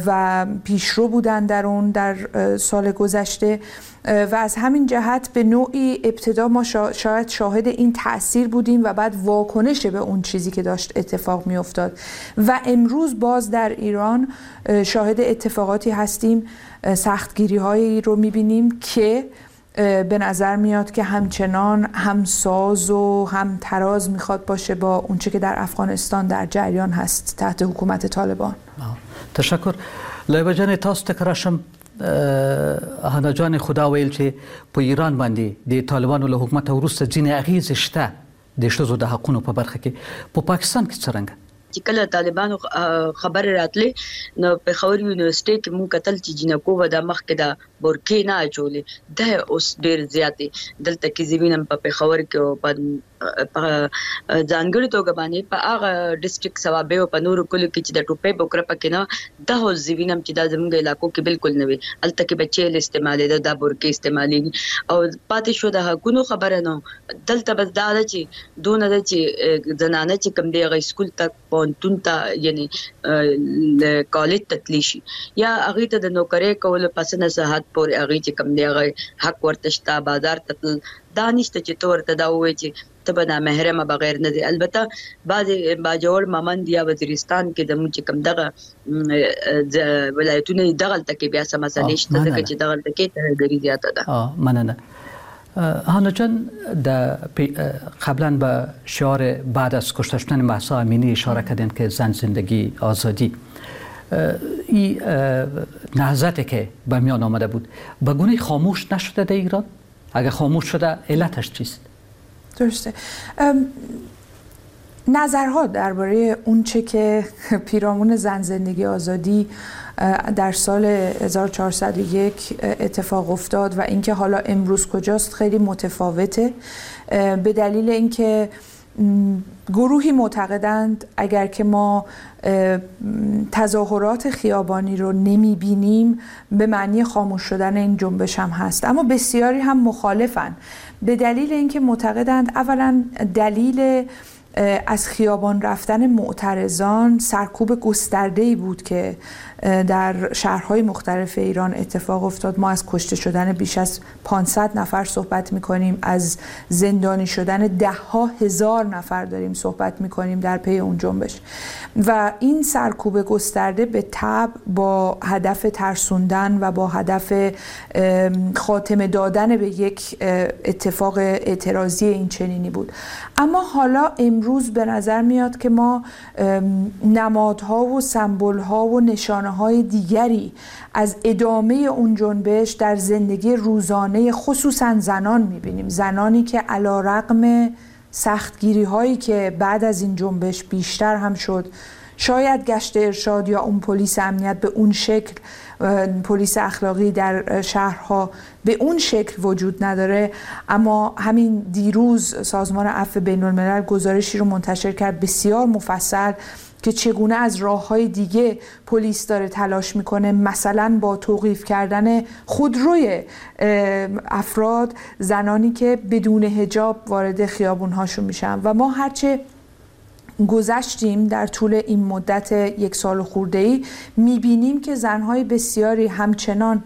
و پیشرو بودن در اون در سال گذشته و از همین جهت به نوعی ابتدا ما شاید شاهد این تأثیر بودیم و بعد واکنش به اون چیزی که داشت اتفاق می افتاد و امروز باز در ایران شاهد اتفاقاتی هستیم، سختگیری هایی رو می بینیم که به نظر میاد که همچنان همساز و هم تراز میخواد باشه با اونچه که در افغانستان در جریان هست تحت حکومت طالبان. تشکر. لایبه جان تاسو ته راشم. حنا جان خدا ویل چې په ایران باندې د طالبانو له حکومت وروسته ځینې اغیزې شته د ښځو د حقونو په برخه کې، په پاکستان کې څرنګه؟ چې کله طالبانو خبر راتلې نو پېښور یونیورسيټي کې مونږ قتل چې جنکو به د مخکې د برکې نه اچولې، دا اوس ډېر زیاتې دلته کې زه وینم په پېښور کې او په ځانګړي توګه باندې په هغه ډیسټریکټ صوابۍ او په نورو کلیو کې چې د ټوپۍ بوکره پکې نه، دا اوس زه وینم چې دا زمونږ علاقو کې بالکل نه وي. هلته کې به چیل استعمالېده، دا برکې استعمالېږي. او پاتې شو د حقونو خبره، نو دلته بس دا ده چې دونه ده چې زنانه چې کوم دی هغه سکول ته، پوهنتون ته، یعنی کالج ته تللی شي، یا هغې ته د نوکرۍ کولو په څه نه څه حد پورې هغې چې کوم دی هغه حق ورته شته. بازار ته تلل دا نشته چې ته ورته دا ووایې چې ته به نامحرمه بغیر نه دی. البته بعضې باجوړ، ممند یا وزیرستان کې زموږ چې کوم دغه ولایتونه دي دغلته کې بیا څه مسئلې شته، ځکه چې دغلته کې ترهګري زیاته ده. مننه. هانا جان، قبلا به شعار بعد از کشته شدن مهسا امینی اشاره کردین که زن زندگی آزادی، این نهضتی که به میان آمده بود به گونه خاموش نشده در ایران؟ اگر خاموش شده علتش چیست؟ درسته. نظرها درباره اون چه که پیرامون زن زندگی آزادی در سال 1401 اتفاق افتاد و اینکه حالا امروز کجاست خیلی متفاوته، به دلیل اینکه گروهی معتقدند اگر که ما تظاهرات خیابانی رو نمیبینیم به معنی خاموش شدن این جنبش هم هست، اما بسیاری هم مخالفن به دلیل اینکه معتقدند اولا دلیل از خیابان رفتن معترضان سرکوب گسترده‌ای بود که در شهرهای مختلف ایران اتفاق افتاد. ما از کشته شدن بیش از 500 نفر صحبت می‌کنیم، از زندانی شدن ده ها هزار نفر داریم صحبت می‌کنیم در پی اون جنبش و این سرکوب گسترده به تبع با هدف ترسوندن و با هدف خاتمه دادن به یک اتفاق اعتراضی این چنینی بود. اما حالا امروز به نظر میاد که ما نمادها و سمبولها و نشانه‌های دیگری از ادامه اون جنبش در زندگی روزانه خصوصا زنان میبینیم، زنانی که علیرغم سختگیری هایی که بعد از این جنبش بیشتر هم شد، شاید گشت ارشاد یا اون پلیس امنیت به اون شکل، پلیس اخلاقی در شهرها به اون شکل وجود نداره، اما همین دیروز سازمان عفو بین الملل گزارشی رو منتشر کرد بسیار مفصل که چگونه از راه‌های دیگه پلیس داره تلاش میکنه، مثلا با توقیف کردن خودروی افراد، زنانی که بدون حجاب وارد خیابون‌هاشون میشن. و ما هرچه گذشتیم در طول این مدت 1 سال خورده‌ای میبینیم که زنهای بسیاری همچنان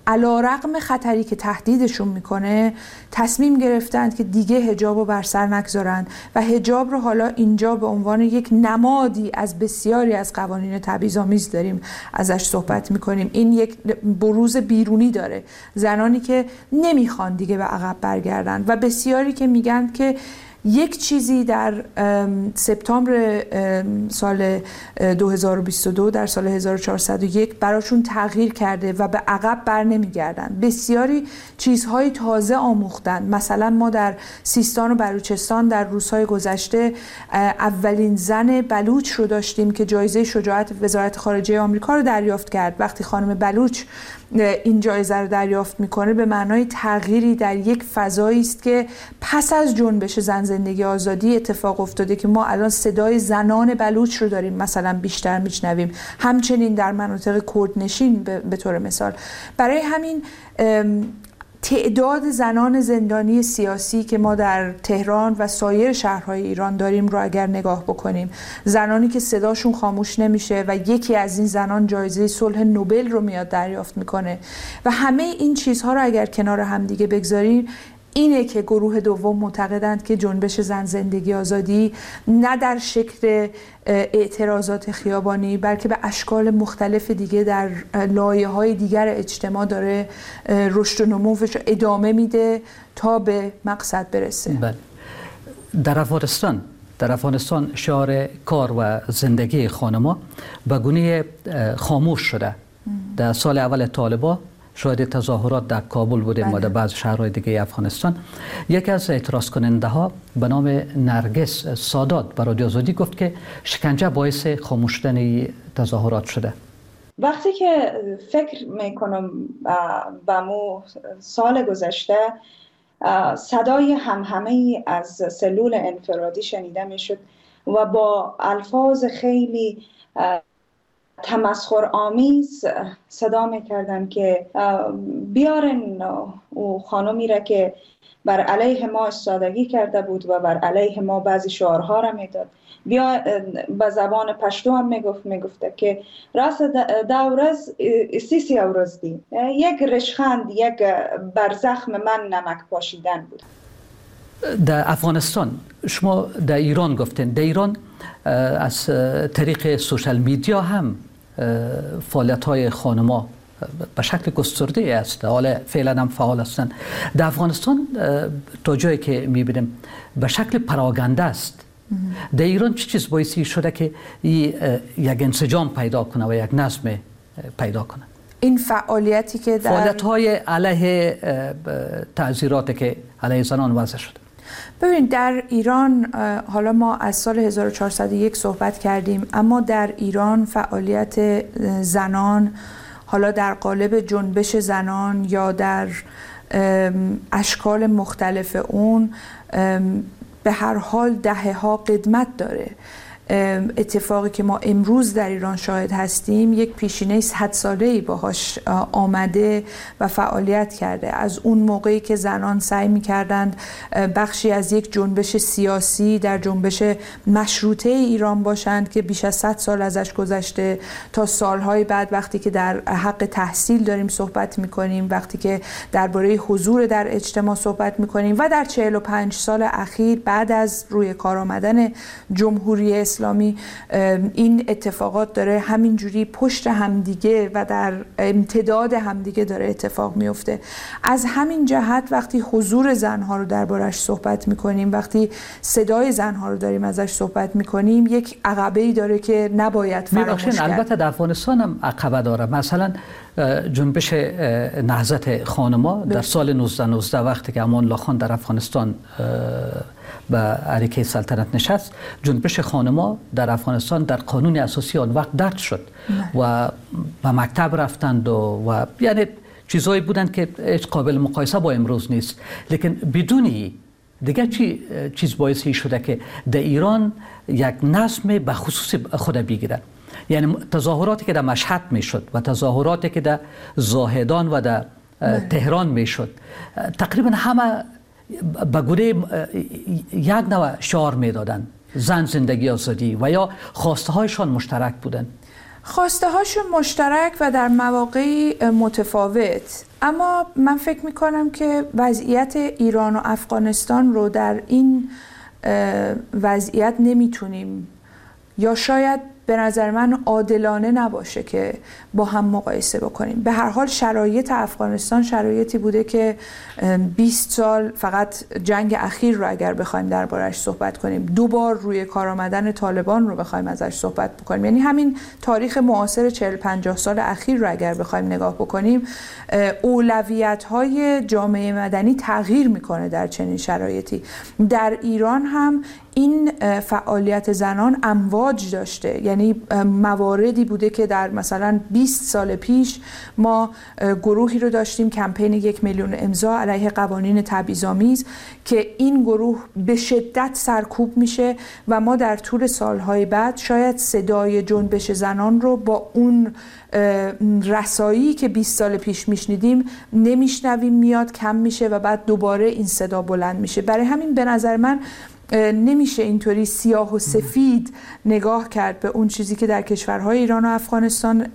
علی‌رغم خطری که تهدیدشون میکنه تصمیم گرفتند که دیگه حجاب رو بر سر نگذارند و حجاب رو حالا اینجا به عنوان یک نمادی از بسیاری از قوانین تبعیض‌آمیز داریم ازش صحبت میکنیم. این یک بروز بیرونی داره، زنانی که نمیخوان دیگه به عقب برگردن و بسیاری که میگن که یک چیزی در سپتامبر سال 2022 در سال 1401 براشون تغییر کرده و به عقب بر نمیگردن. بسیاری چیزهای تازه آموختن. مثلا ما در سیستان و بلوچستان در روزهای گذشته اولین زن بلوچ رو داشتیم که جایزه شجاعت وزارت خارجه آمریکا رو دریافت کرد. وقتی خانم بلوچ این جایزه رو دریافت میکنه به معنای تغییری در یک فضایی است که پس از جنبش زن زندگی آزادی اتفاق افتاده که ما الان صدای زنان بلوچ رو داریم مثلا بیشتر میشنویم، همچنین در مناطق کردنشین به طور مثال. برای همین تعداد زنان زندانی سیاسی که ما در تهران و سایر شهرهای ایران داریم رو اگر نگاه بکنیم، زنانی که صداشون خاموش نمیشه و یکی از این زنان جایزه صلح نوبل رو میاد دریافت میکنه و همه این چیزها رو اگر کنار هم دیگه بگذاریم، اینه که گروه دوم معتقدند که جنبش زن زندگی آزادی نه در شکل اعتراضات خیابانی بلکه به اشکال مختلف دیگه در لایه‌های دیگر اجتماع داره رشد و نموش ادامه میده تا به مقصد برسه. بله. در افغانستان شعار کار و زندگی خانم‌ها به گونه خاموش شده. در سال اول طالبان شاهد تظاهرات در کابل بودیم و در بعض شهرهای دیگه افغانستان. یکی از اعتراض کننده ها به نام نرگس سادات برای رادیو آزادی گفت که شکنجه باعث خاموش شدن تظاهرات شده. وقتی که فکر میکنم به مو سال گذشته، صدای همهمه از سلول انفرادی شنیده میشد و با الفاظ خیلی تمسخر آمیز صدا میکردن که بیارن او خانمی را که بر علیه ما استادگی کرده بود و بر علیه ما بعضی شعارها را میداد. بیا به زبان پشتو هم میگفته که راست دورز سیسی اورز دی، یک رشخند، یک بر زخم من نمک پاشیدن بود. در افغانستان شما در ایران گفتین، در ایران از طریق سوشال میدیا هم فعالیت‌های خانم‌ها به شکل گسترده است، حالا فعلا هم فعال هستند. در افغانستان تا جایی که می‌بینیم به شکل پراگنده است. در ایران چه چیز باعث شده که یک انسجام پیدا کنه و یک نظم پیدا کنه؟ این فعالیتی که در فعالیت‌های علیه تعزیرات که علیه زنان وضع شده. ببین در ایران، حالا ما از سال 1401 صحبت کردیم، اما در ایران فعالیت زنان حالا در قالب جنبش زنان یا در اشکال مختلف اون به هر حال دهه‌ها قدمت داره. اتفاقی که ما امروز در ایران شاهد هستیم یک پیشینه 100 ساله‌ای باهاش آمده و فعالیت کرده. از اون موقعی که زنان سعی می‌کردند بخشی از یک جنبش سیاسی در جنبش مشروطه ایران باشند که بیش از 100 سال ازش گذشته، تا سالهای بعد وقتی که در حق تحصیل داریم صحبت می‌کنیم، وقتی که درباره حضور در اجتماع صحبت می‌کنیم و در 45 سال اخیر بعد از روی کار آمدن جمهوری اسلامی این اتفاقات داره همینجوری پشت همدیگه و در امتداد همدیگه داره اتفاق میفته. از همین جهت وقتی حضور زنها رو دربارش صحبت میکنیم، وقتی صدای زنها رو داریم ازش صحبت میکنیم، یک عقبه‌ای داره که نباید فراموش کرد. البته در افغانستان هم عقبه داره. مثلا جنبش نهضت خانم‌ها در سال 1919 وقتی که امان الله خان در افغانستان به عریکه سلطنت نشست، جنبش خانما در افغانستان در قانون اساسی آن وقت درج شد و به مکتب رفتند و یعنی چیزهایی بودند که هیچ قابل مقایسه با امروز نیست. لیکن بدون دیگه چی چیز باعث شده که در ایران یک نظم به خصوص خود بگیره؟ یعنی تظاهراتی که در مشهد میشد و تظاهراتی که در زاهدان و در تهران میشد، تقریبا همه به گونه یک نوع شعار میدادند، زن زندگی آزادی، و یا خواسته هایشان مشترک بودند. خواسته هاشون مشترک و در مواقعی متفاوت. اما من فکر میکنم که وضعیت ایران و افغانستان رو در این وضعیت نمیتونیم، یا شاید به نظر من عادلانه نباشه که با هم مقایسه بکنیم. به هر حال شرایط افغانستان شرایطی بوده که 20 سال فقط جنگ اخیر رو اگر بخوایم دربارش صحبت کنیم، دو بار روی کار آمدن طالبان رو بخوایم ازش صحبت بکنیم، یعنی همین تاریخ معاصر 40-50 سال اخیر رو اگر بخوایم نگاه بکنیم، اولویت‌های جامعه مدنی تغییر میکنه در چنین شرایطی. در ایران هم این فعالیت زنان امواج داشته، یعنی مواردی بوده که در مثلا 20 سال پیش ما گروهی رو داشتیم، کمپین 1 میلیون امضا علیه قوانین تبعیض‌آمیز، که این گروه به شدت سرکوب میشه و ما در طول سالهای بعد شاید صدای جنبش زنان رو با اون رسایی که 20 سال پیش میشنیدیم نمیشنویم، میاد کم میشه و بعد دوباره این صدا بلند میشه. برای همین به نظر من نمیشه اینطوری سیاه و سفید نگاه کرد به اون چیزی که در کشورهای ایران و افغانستان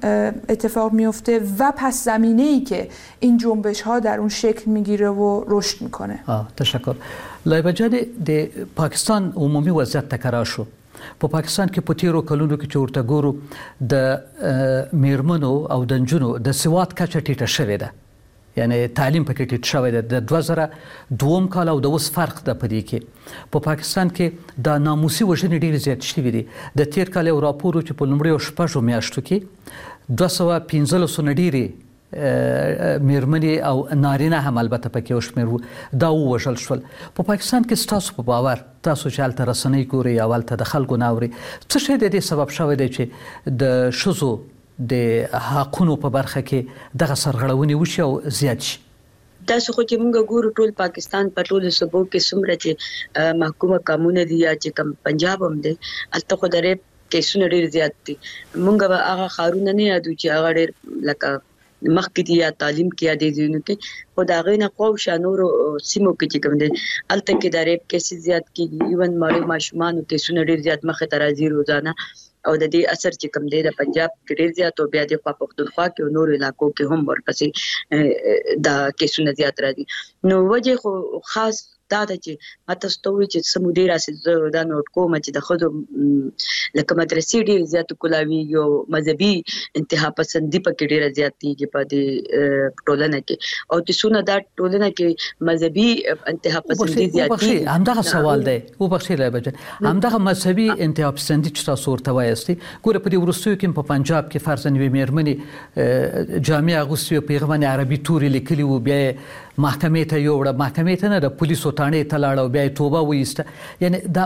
اتفاق میفته و پس زمینه‌ای که این جنبش‌ها در اون شکل میگیره و رشد میکنه. تشکر. لایبه جان، د پاکستان عمومي وضعیت تکرار شو. په پاکستان کې په تیرو کلونو کې چې ورته ګورو، د میرمنو او د نجونو د سواد کچه ټیټه شوې ده، یعنی تعلیم پکې ټیټ شوی دی. د 2002 کال او د اوس فرق ده په دې کې. په پاکستان کې د ناموسي وژنې ډېرې زیاتې شوې دي. د تیر کال یو راپور و چې په لومړیو 6 میاشتو کې 215 نه ډېرې میرمنې او نارینه هم البته پکې یو شمېر وو، دا ووژل شول. په پاکستان کې ستاسو په باور، تاسو چې هلته رسنۍ ګورئ او هلته د خلکو نه اورئ، څه شی د دې سبب شوی دی چې د ښځو د حقونو په برخه کې دغه سرغړونې وشي او زیات شي؟ تاسو خو چې موږ ګورو ټول پاکستان په ټولو صوبو کې څومره چې محکومه قامونه دي یا چې کوم پنجاب هم دی، هلته خو د ریپ کیسونه ډېر زیات دي. موږ به هغه ښارونه نه یادو چې هغه ډېر لکه مخکې دي یا تعلیم کې یا دې ځایونو کې، خو د هغې نه خواوشا نورو سیمو کې چې کوم دی هلته کې د ریپ کیسې زیات کېږي. ایون مړو ماشومانو کیسونه ډېر زیات مخې ته راځي روزانه، او د دې اثر چې کوم دی د پنجاب کې ډېر زیات او بیا د خوا پښتونخوا کې او نورو علاقو کې هم ورپسې دا کیسونه زیات راځي. نو وجه خو خاص دا ده چې ما تاسو ته وویل چې څه مودې راسې زه دا نوټ کوم چې د ښځو لکه مدرسې ډېرې زیاتې کولاویږي او مذهبي انتها پسندي پکې ډېره زیاتېږي په دې ټولنه کې، او چې څونه دا ټولنه کې مذهبي انتها پسندي زیاتېږي. همدغه سوال دی، وبخښئ لایبه جان، همدغه مذهبي انتها پسندي چې تاسو ورته وایاست، ګوره په دې وروستیو کې په پنجاب کې فرضاً یوې مېرمنې جامې اغوستې وې، په هغه باندې عربي توري لیکلي وو، بیا یې محکمې ته یووړه، محکمې ته نه د پولیسو تاڼې ته لاړه او بیا یې توبه وایسته. یعنی دا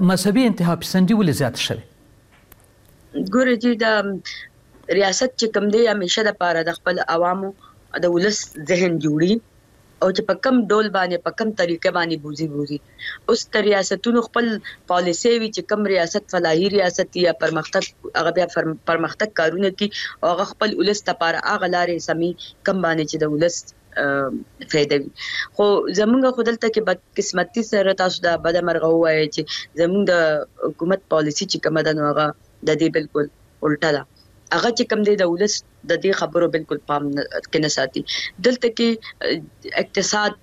مذهبي انتها پسندي ولې زیاته شوې؟ ګورئ چې دا ریاست چې کوم دی همیشه دپاره د خپل عوامو د ولس ذهن جوړي او چې په کم ډول باندې په کم طریقه باندې بوزي بوزي. اوس د ریاستونو خپل پالیسي وي چې کم ریاست فلاحي ریاست یا پرمختګ، هغه بیا پرمختګ کارونه کوي او هغه خپل ولس دپاره هغه لارې سمي کم باندې چې د ولس فایده وي. خو زمونږ خو دلته کې بدقسمتي سره تاسو دا بده مرغه ووایئ چې زمونږ د حکومت پالیسي چې کومه ده نو هغه د دې بالکل الټه ده. هغه چې کوم دی د ولس د دې خبرو بالکل پام کې نه ساتي. دلته کې اقتصاد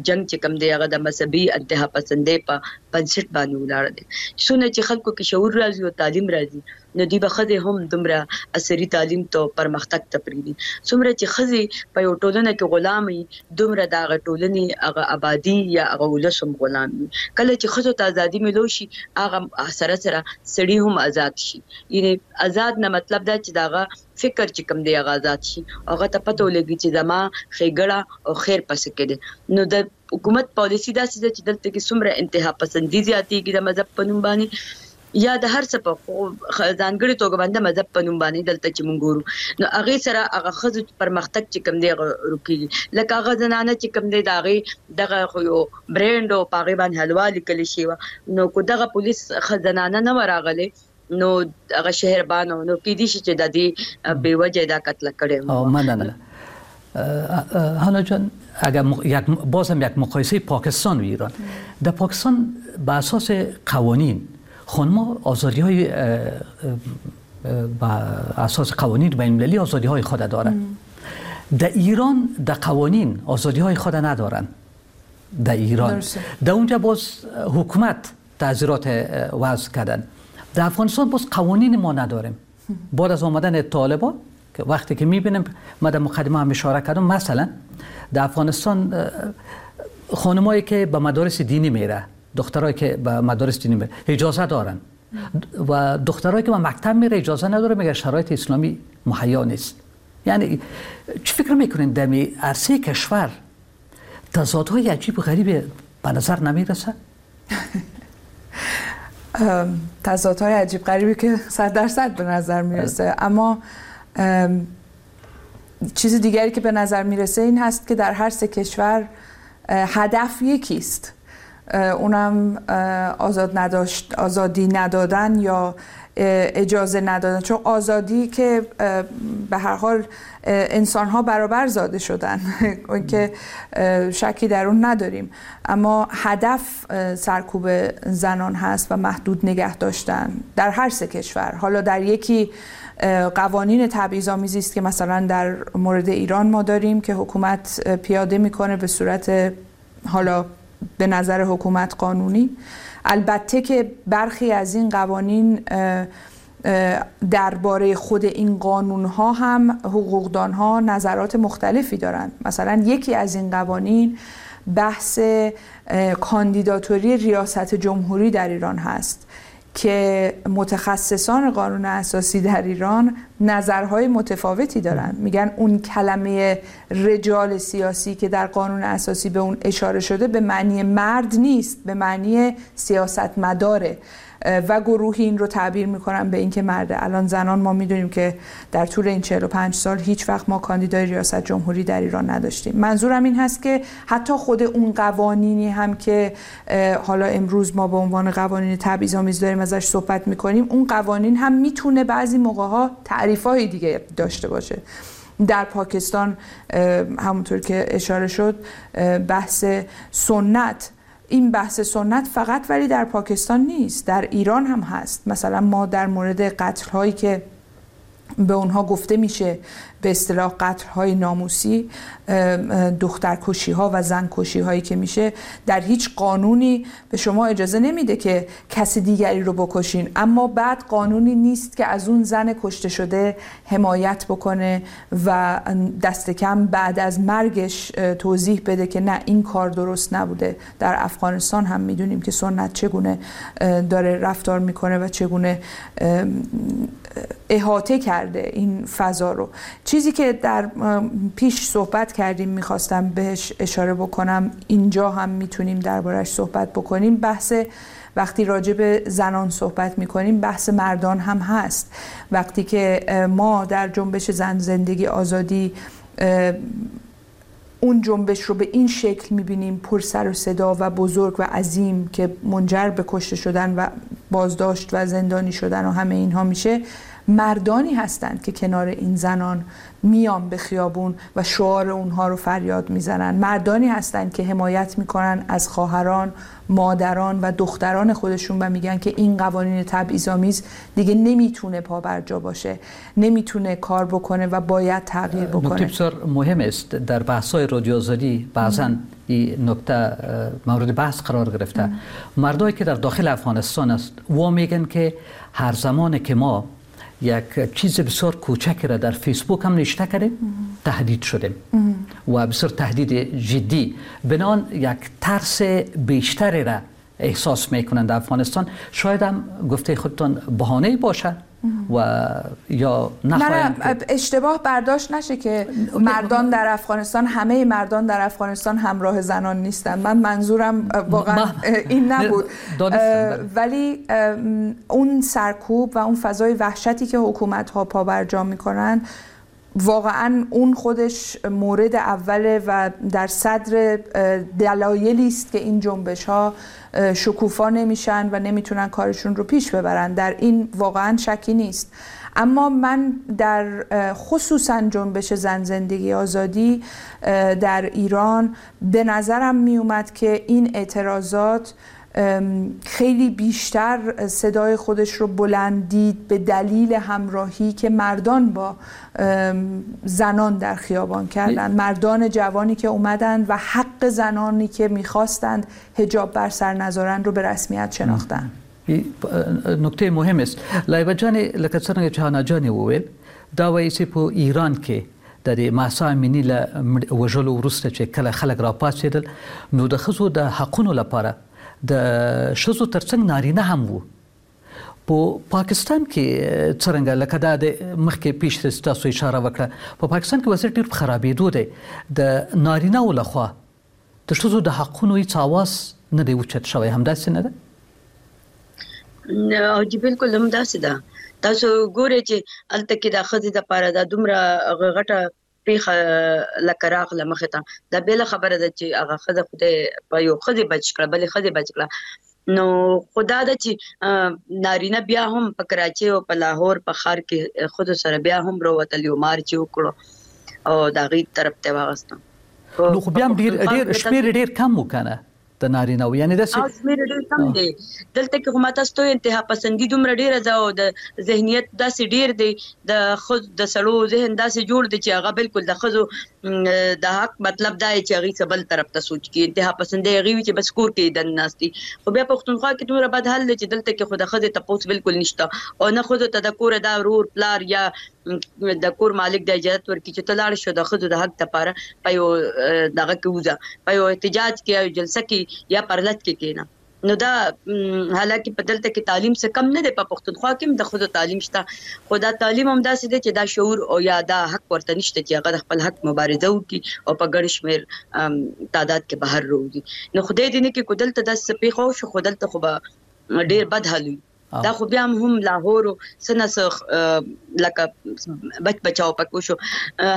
جنگ چې کوم دی هغه د مذهبي انتها پسندۍ په بنسټ باندې ولاړ دی. څونه چې خلکو کې شعور راځي او تعلیم راځي نو دوی به ښځې هم دومره عصري تعلیم ته پرمختګ ته پرېږدي. څومره چې ښځې په یو ټولنه کې غلام وي دومره د هغه ټولنې هغه آبادي یا هغه ولس هم غلام وي. کله چې ښځو ته ازادي ملو شي هغه سره سره سړي هم ازاد شي. یعنې ازاد نه مطلب دا چې د هغه فکر چې کوم دی هغه ازاد شي، هغه ته پته ولګي چې زما ښېګړه او خیر په څه کې دی. نو د حکومت پالیسي داسې ده چې دلته کې څومره انتها پسندي زیاتېږي د مذهب په نوم باندې یا د هر څه په ځانګړي توګه باندې مذهب په نوم باندې دلته چې مونږ ګورو نو هغې سره هغه ښځو پرمختګ چې کوم دی هغه رکېږي. لکه هغه زنانه چې کوم دی د هغې دغه خو یو برینډ او په هغې باندې حلوا لیکل شوې وه، نو که دغه پولیس ښه زنانه نه وه راغلې نو هغه شهربانو نو کېدای شي چې د دې بې وجه دا قتل کړی. مننه هانا جان. اگر بازم یک مقایسه پاکستان و ایران، در پاکستان به اساس قوانین خانم‌ها آزادی‌های به اساس قوانین بین‌المللی آزادی‌های خود دارند. در ایران در قوانین آزادی‌های خود ندارند. در ایران در اونجا باز حکومت تعزیرات وضع کردن. در افغانستان باز قوانین ما نداریم. بعد از آمدن طالبان که وقتی که می‌بینیم، ما در مقدمه هم اشاره کردم، مثلا در افغانستان خانمایی که به مدارس دینی میره، دخترایی که به مدارس دینی میره اجازه دارن و دخترایی که به مکتب میره اجازه نداره، میگه شرایط اسلامی مهیا نیست. یعنی چی فکر میکنین در عرصه کشور تضادهای عجیب و غریب به نظر نمیرسه؟ تضادهای عجیب غریبی که 100% به نظر میرسه، اما چیز دیگری که به نظر میرسه این هست که در هر سه کشور هدف یکیست، اونم آزادی ندادن یا اجازه ندادن. چون آزادی که به هر حال انسان‌ها برابر زاده شدن اون که شکی در اون نداریم، اما هدف سرکوب زنان هست و محدود نگه داشتن در هر سه کشور. حالا در یکی قوانین تبعیض‌آمیزی است که مثلا در مورد ایران ما داریم که حکومت پیاده میکنه به صورت حالا به نظر حکومت قانونی. البته که برخی از این قوانین درباره خود این قانون‌ها هم حقوقدان‌ها نظرات مختلفی دارند. مثلا یکی از این قوانین بحث کاندیداتوری ریاست جمهوری در ایران هست که متخصصان قانون اساسی در ایران نظرهای متفاوتی دارن. میگن اون کلمه رجال سیاسی که در قانون اساسی به اون اشاره شده به معنی مرد نیست، به معنی سیاستمداره و گروهی این رو تعبیر میکنن به اینکه مرده. الان زنان ما میدونیم که در طول این 45 سال هیچ وقت ما کاندیدای ریاست جمهوری در ایران نداشتیم. منظورم این هست که حتی خود اون قوانینی هم که حالا امروز ما به عنوان قوانین تبعیض‌آمیز داریم ازش صحبت میکنیم، اون قوانین هم میتونه بعضی موقع‌ها تعریف‌های دیگه داشته باشه. در پاکستان همونطور که اشاره شد بحث سنت، این بحث سنت فقط ولی در پاکستان نیست، در ایران هم هست. مثلا ما در مورد قتل هایی که به اونها گفته میشه به اصطلاح قتل های ناموسی، دخترکشی ها و زنکشی هایی که میشه، در هیچ قانونی به شما اجازه نمیده که کسی دیگری رو بکشین، اما بعد قانونی نیست که از اون زن کشته شده حمایت بکنه و دست کم بعد از مرگش توضیح بده که نه این کار درست نبوده. در افغانستان هم میدونیم که سنت چگونه داره رفتار میکنه و چگونه احاطه کرده این فضا رو. چیزی که در پیش صحبت کردیم میخواستم بهش اشاره بکنم، اینجا هم میتونیم دربارش صحبت بکنیم، بحث وقتی راجع به زنان صحبت میکنیم بحث مردان هم هست. وقتی که ما در جنبش زن زندگی آزادی اون جنبش رو به این شکل میبینیم، پر سر و صدا و بزرگ و عظیم که منجر به کشته شدن و بازداشت و زندانی شدن و همه اینها میشه، مردانی هستند که کنار این زنان میان به خیابون و شعار اونها رو فریاد میزنن، مردانی هستند که حمایت میکنن از خواهران، مادران و دختران خودشون و میگن که این قوانین تبعیض‌آمیز دیگه نمیتونه پابرجا باشه، نمیتونه کار بکنه و باید تغییر بکنه. نکته بسیار مهم است. در بحث‌های رادیو آزادی بعضاً این نکته مورد بحث قرار گرفته. مردایی که در داخل افغانستان است و میگن که هر زمان که ما یک چیز بسیار کوچک را در فیسبوک هم نوشته کردیم تهدید شدیم و بسیار تهدید جدی، بنان یک ترس بیشتری را احساس میکنند در افغانستان. شاید هم گفته خودتان بهانه باشه و یا نخواهند. نه اشتباه برداشت نشه که مردان در افغانستان، همه مردان در افغانستان همراه زنان نیستن. من منظورم واقعا این نبود، ولی اون سرکوب و اون فضای وحشتی که حکومت ها پابرجا میکنن واقعا اون خودش مورد اوله و در صدر دلایلی است که این جنبش ها شکوفا نمیشن و نمیتونن کارشون رو پیش ببرن. در این واقعا شکی نیست. اما من در خصوصا جنبش زن زندگی آزادی در ایران به نظرم میومد که این اعتراضات خیلی بیشتر صدای خودش رو بلند دید به دلیل همراهی که مردان با زنان در خیابان کردند، مردان جوانی که اومدند و حق زنانی که میخواستند حجاب بر سر نذارند رو به رسمیت شناختند. نکته مهم است. لایبه جان، لکه څنګه چې حنا جانې وویل، دا وایي چې په ایران کې د دې مهسا امیني له وژلو وروسته چې کله خلک راپاڅېدل نو د ښځو د حقونو لپاره د ښځو ترڅنګ نارینه هم وو. په پاکستان کې څرنګه، لکه دا د مخکې پیش تاسو اشاره وکړه، په پاکستان کې وضعیت ډېر په خرابېدو دی، د نارینه و لخوا د ښځو د حقونو هیڅ اواز نه دی اوچت شوی، همداسې نه ده؟ نه جی، بالکل همداسې ده. تاسو ګورئ چې هلته کې د ښځې دپاره دا دومره غټه پیښه لکه راغله مخې ته، دا بېله خبره ده چې هغه ښځه خدای په یو ښځې بچ کړه، بلې ښځې بچ کړه. نو خدا ده چې نارینه بیا هم په کراچۍ او په لاهور په ښار کې ښځو سره بیا هم راوتل، یو مارچ یې وکړو او د هغې طرف ته واغسته. نو خو بیا هم ډېر شمېر ډېر کم و که نه د نارینه و، یعنی داسې شمېر ډېر کم دی دلته کې. خو ما تاسو ته انتها پسندي دومره ډېره ده او د ذهنیت داسې ډېر دی، د ښځو د سړو ذهن داسې جوړ دی چې هغه بالکل د ښځو د حق مطلب دا دی چې هغوی څه بل طرف ته سوچ کړي. انتها پسندي هغوی وي چې بس کور کې دننه ناست دي. خو بیا پښتونخوا کې دومره بد حال دی چې دلته کې خو د ښځې تپوس بالکل نشته او نه ښځو ته د کوره دا ورور پلار یا د کور مالک د اجازه ورکړي چې ته لاړ شو د ښځو د حق لپاره په یو دغه کې وځه، په یو احتجاج کې یا جلسه کې یا پرلت کې کېنه. نو دا حالانکه په دلته کې تعلیم څه کم نه دی، په پښتونخوا کې هم د ښځو تعلیم شته، خو دا تعلیم هم داسې دی چې دا شعور او یا دا حق ورته نشته چې هغه د خپل حق مبارزه وکړي او په ګڼ شمېر تعداد کې بهر راوځي. نو خدای دې نه کړي که دلته داسې څه پېښه وشو، خو دلته خو به ډېر بد حال وي. دا خو بیا هم لاهور څه نه څه لکه بچ بچاو پکې وشو،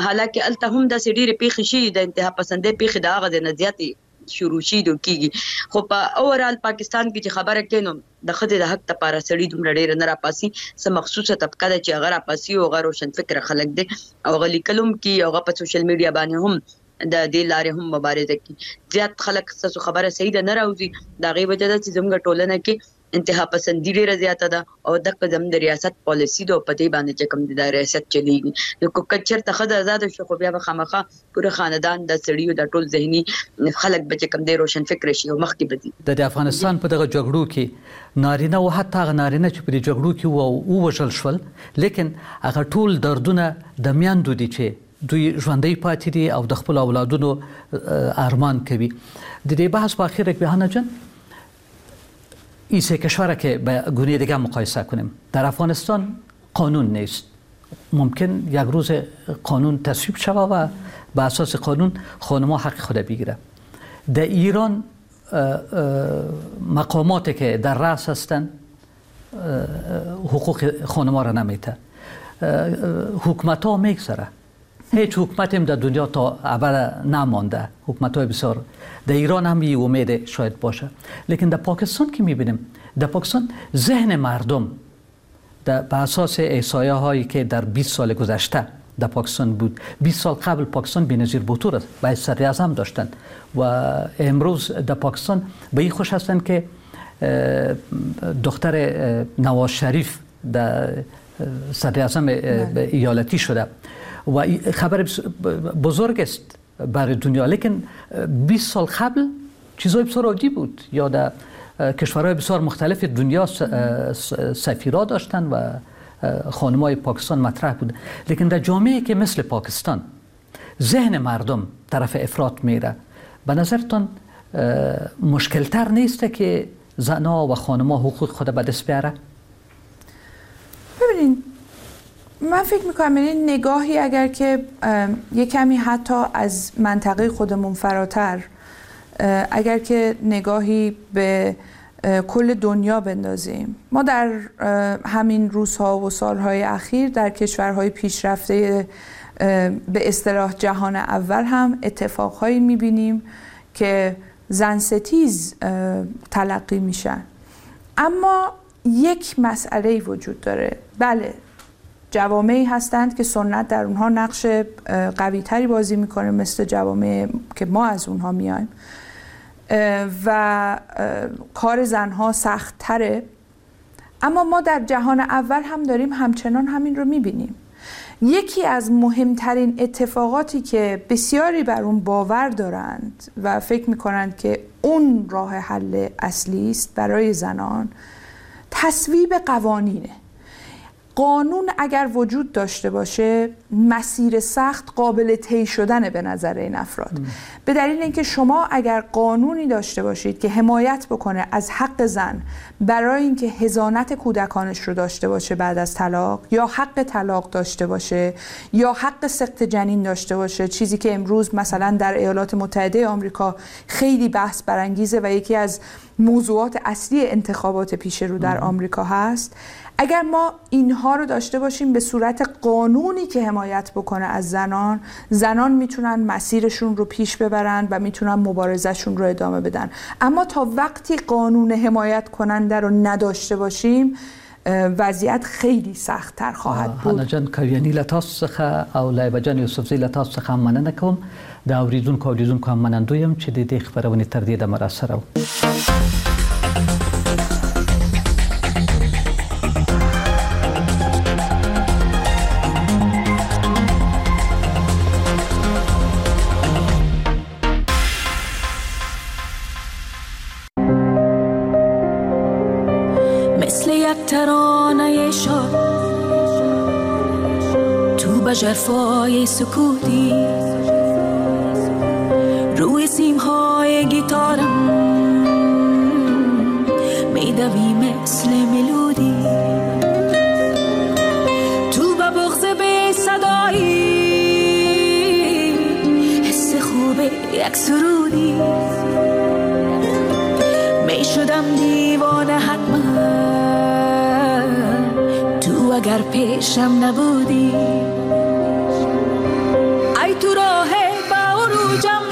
حالانکه هلته هم داسې ډېرې پېښې شوي، د انتها پسندۍ پېښې د هغه ځای نه زیاتې شروع شي دو کیږي. خو په اوورال پاکستان کې چې خبره کوي نو د ښځې د حق لپاره سړي دومره ډېره نه راپاسي، څه مخصوصه طبقه ده چې هغه راپاسي او هغه روشنفکره خلک دي او هغه لیکل هم کوي او هغه په سوشل میډیا باندې هم د دې لارې هم مبارزه کوي. زیات خلک ستاسو خبره صحیح ده نه راوځي، د هغې وجه ده چې زموږ ټولنه کې انتها پسندي ډېره زیاته ده او دغه زموږ د ریاست پالیسي ده او په دې باندې چې کوم د ریاست چلیږي. نو که چېرته ښځه ازاده شي خو بیا به خامخا پوره خاندان د سړیو د ټول ذهني خلک به چې کوم دی روشن فکر شي او مخکې به ځي. د افغانستان په دغه جګړو کې نارینه او حتی هغه نارینه چې په دې جګړو کې وو ووژل شول، لیکن هغه ټول دردونه د میندو دي چې دوی ژوندۍ پاتې دي او د خپلو اولادونو ارمان کوي. د دې بحث په اخر کې حنا جان، این سه کشور که به گونه دیگه مقایسه کنیم، در افغانستان قانون نیست، ممکن یک روز قانون تصویب شود و به اساس قانون خانم‌ها حق خود بگیره. در ایران مقاماتی که در رأس هستند حقوق خانم‌ها را نمیده، حکومت ها میگذره، هیچ حکومتی هم در دنیا تا ابد نمانده، حکومت های بسیار در ایران هم یه امید شاید باشه، لیکن در پاکستان که میبینیم، در پاکستان ذهن مردم به اساس احصایه هایی که در 20 سال گذشته در پاکستان بود، 20 سال قبل پاکستان بی‌نظیر بوتو را به صدر اعظم داشتند و امروز در پاکستان به این خوش هستند که دختر نواز شریف در صدر اعظم ایالتی شده و خبر بزرگ است برای دنیا. لیکن 20 سال قبل چیزای بسیار عادی بود، یا در کشورهای بسیار مختلف دنیا سفیرا داشتن و خانمای پاکستان مطرح بود. لیکن در جامعه که مثل پاکستان ذهن مردم طرف افراط میره، به نظرتان مشکلتر نیست که زنها و خانم‌ها حقوق خود به دست بیاره؟ ببینین، من فکر میکنم این نگاهی اگر که یه کمی حتی از منطقه خودمون فراتر، اگر که نگاهی به کل دنیا بندازیم، ما در همین روزها و سالهای اخیر در کشورهای پیشرفته به اصطلاح جهان اول هم اتفاقهایی میبینیم که زن ستیز تلقی میشن. اما یک مسئله وجود داره. بله، جوامعی هستند که سنت در اونها نقش قوی تری بازی میکنه، مثل جوامع که ما از اونها میایم و کار زنها سخت تره. اما ما در جهان اول هم داریم همچنان همین رو میبینیم. یکی از مهمترین اتفاقاتی که بسیاری بر اون باور دارند و فکر میکنند که اون راه حل اصلی است برای زنان، تصویب قوانینه. قانون اگر وجود داشته باشه، مسیر سخت قابل طی شدنه به نظر این افراد. به دلیل اینکه شما اگر قانونی داشته باشید که حمایت بکنه از حق زن برای اینکه حضانت کودکانش رو داشته باشه بعد از طلاق، یا حق طلاق داشته باشه، یا حق سقط جنین داشته باشه، چیزی که امروز مثلا در ایالات متحده آمریکا خیلی بحث برانگیزه و یکی از موضوعات اصلی انتخابات پیش رو در آمریکا هست. اگر ما اینها رو داشته باشیم به صورت قانونی که حمایت بکنه از زنان، زنان میتونن مسیرشون رو پیش ببرن و میتونن مبارزهشون رو ادامه بدن. اما تا وقتی قانون حمایت کننده رو نداشته باشیم، وضعیت خیلی سخت‌تر خواهد بود. حنا جان کاویانی له تاسو څخه او لایبه جان یوسفزۍ له تاسو څخه هم مننه کوم. د اوریدونکو او لیدونکو هم منندوی یم چې د دې خپرونې تر دې دمه راسره وو. ترانه شاد تو به ژرفای سکوتی، روی سیمهای گیتارم میدوی مثل ملودی، تو به بغض بی صدایی حس خوب یک سرودی، میشدم دیوانه حتما تو اگر پیشم نبودی. ای تو راه با عروجم،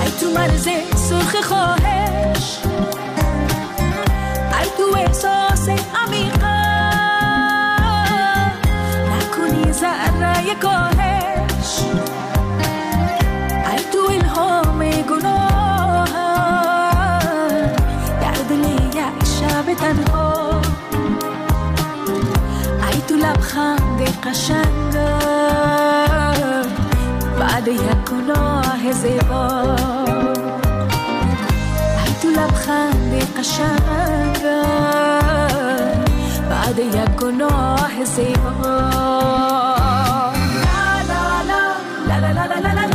ای تو مرز سرخ خواهش، ای تو احساس عمیقم نکنی ذره کاهش، ای تو الهام گناهم در دل یک شب تنها، ای تو لبخند قشنگم بعد یک گناه زیبا، ای تو لبخند قشنگم بعد یک گناه زیبا. لا لا لا لا لا لا لا لا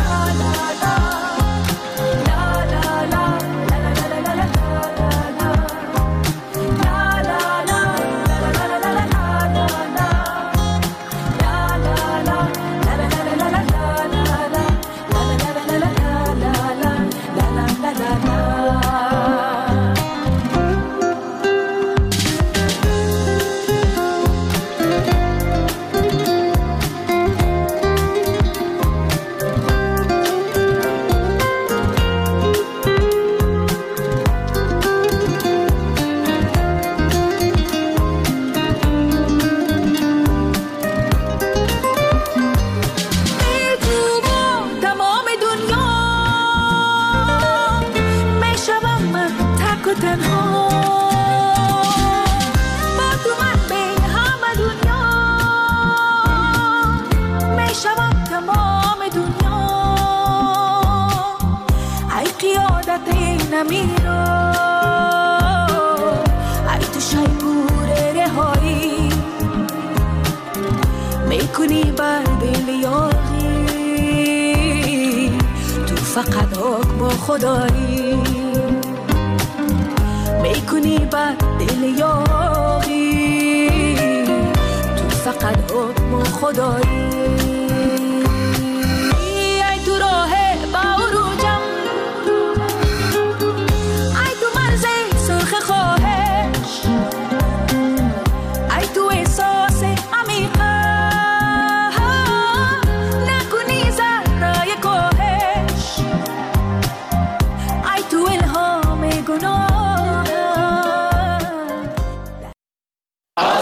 فقط حکم خدایی میکنی بر دل یاغی، تو فقط حکم خدایی.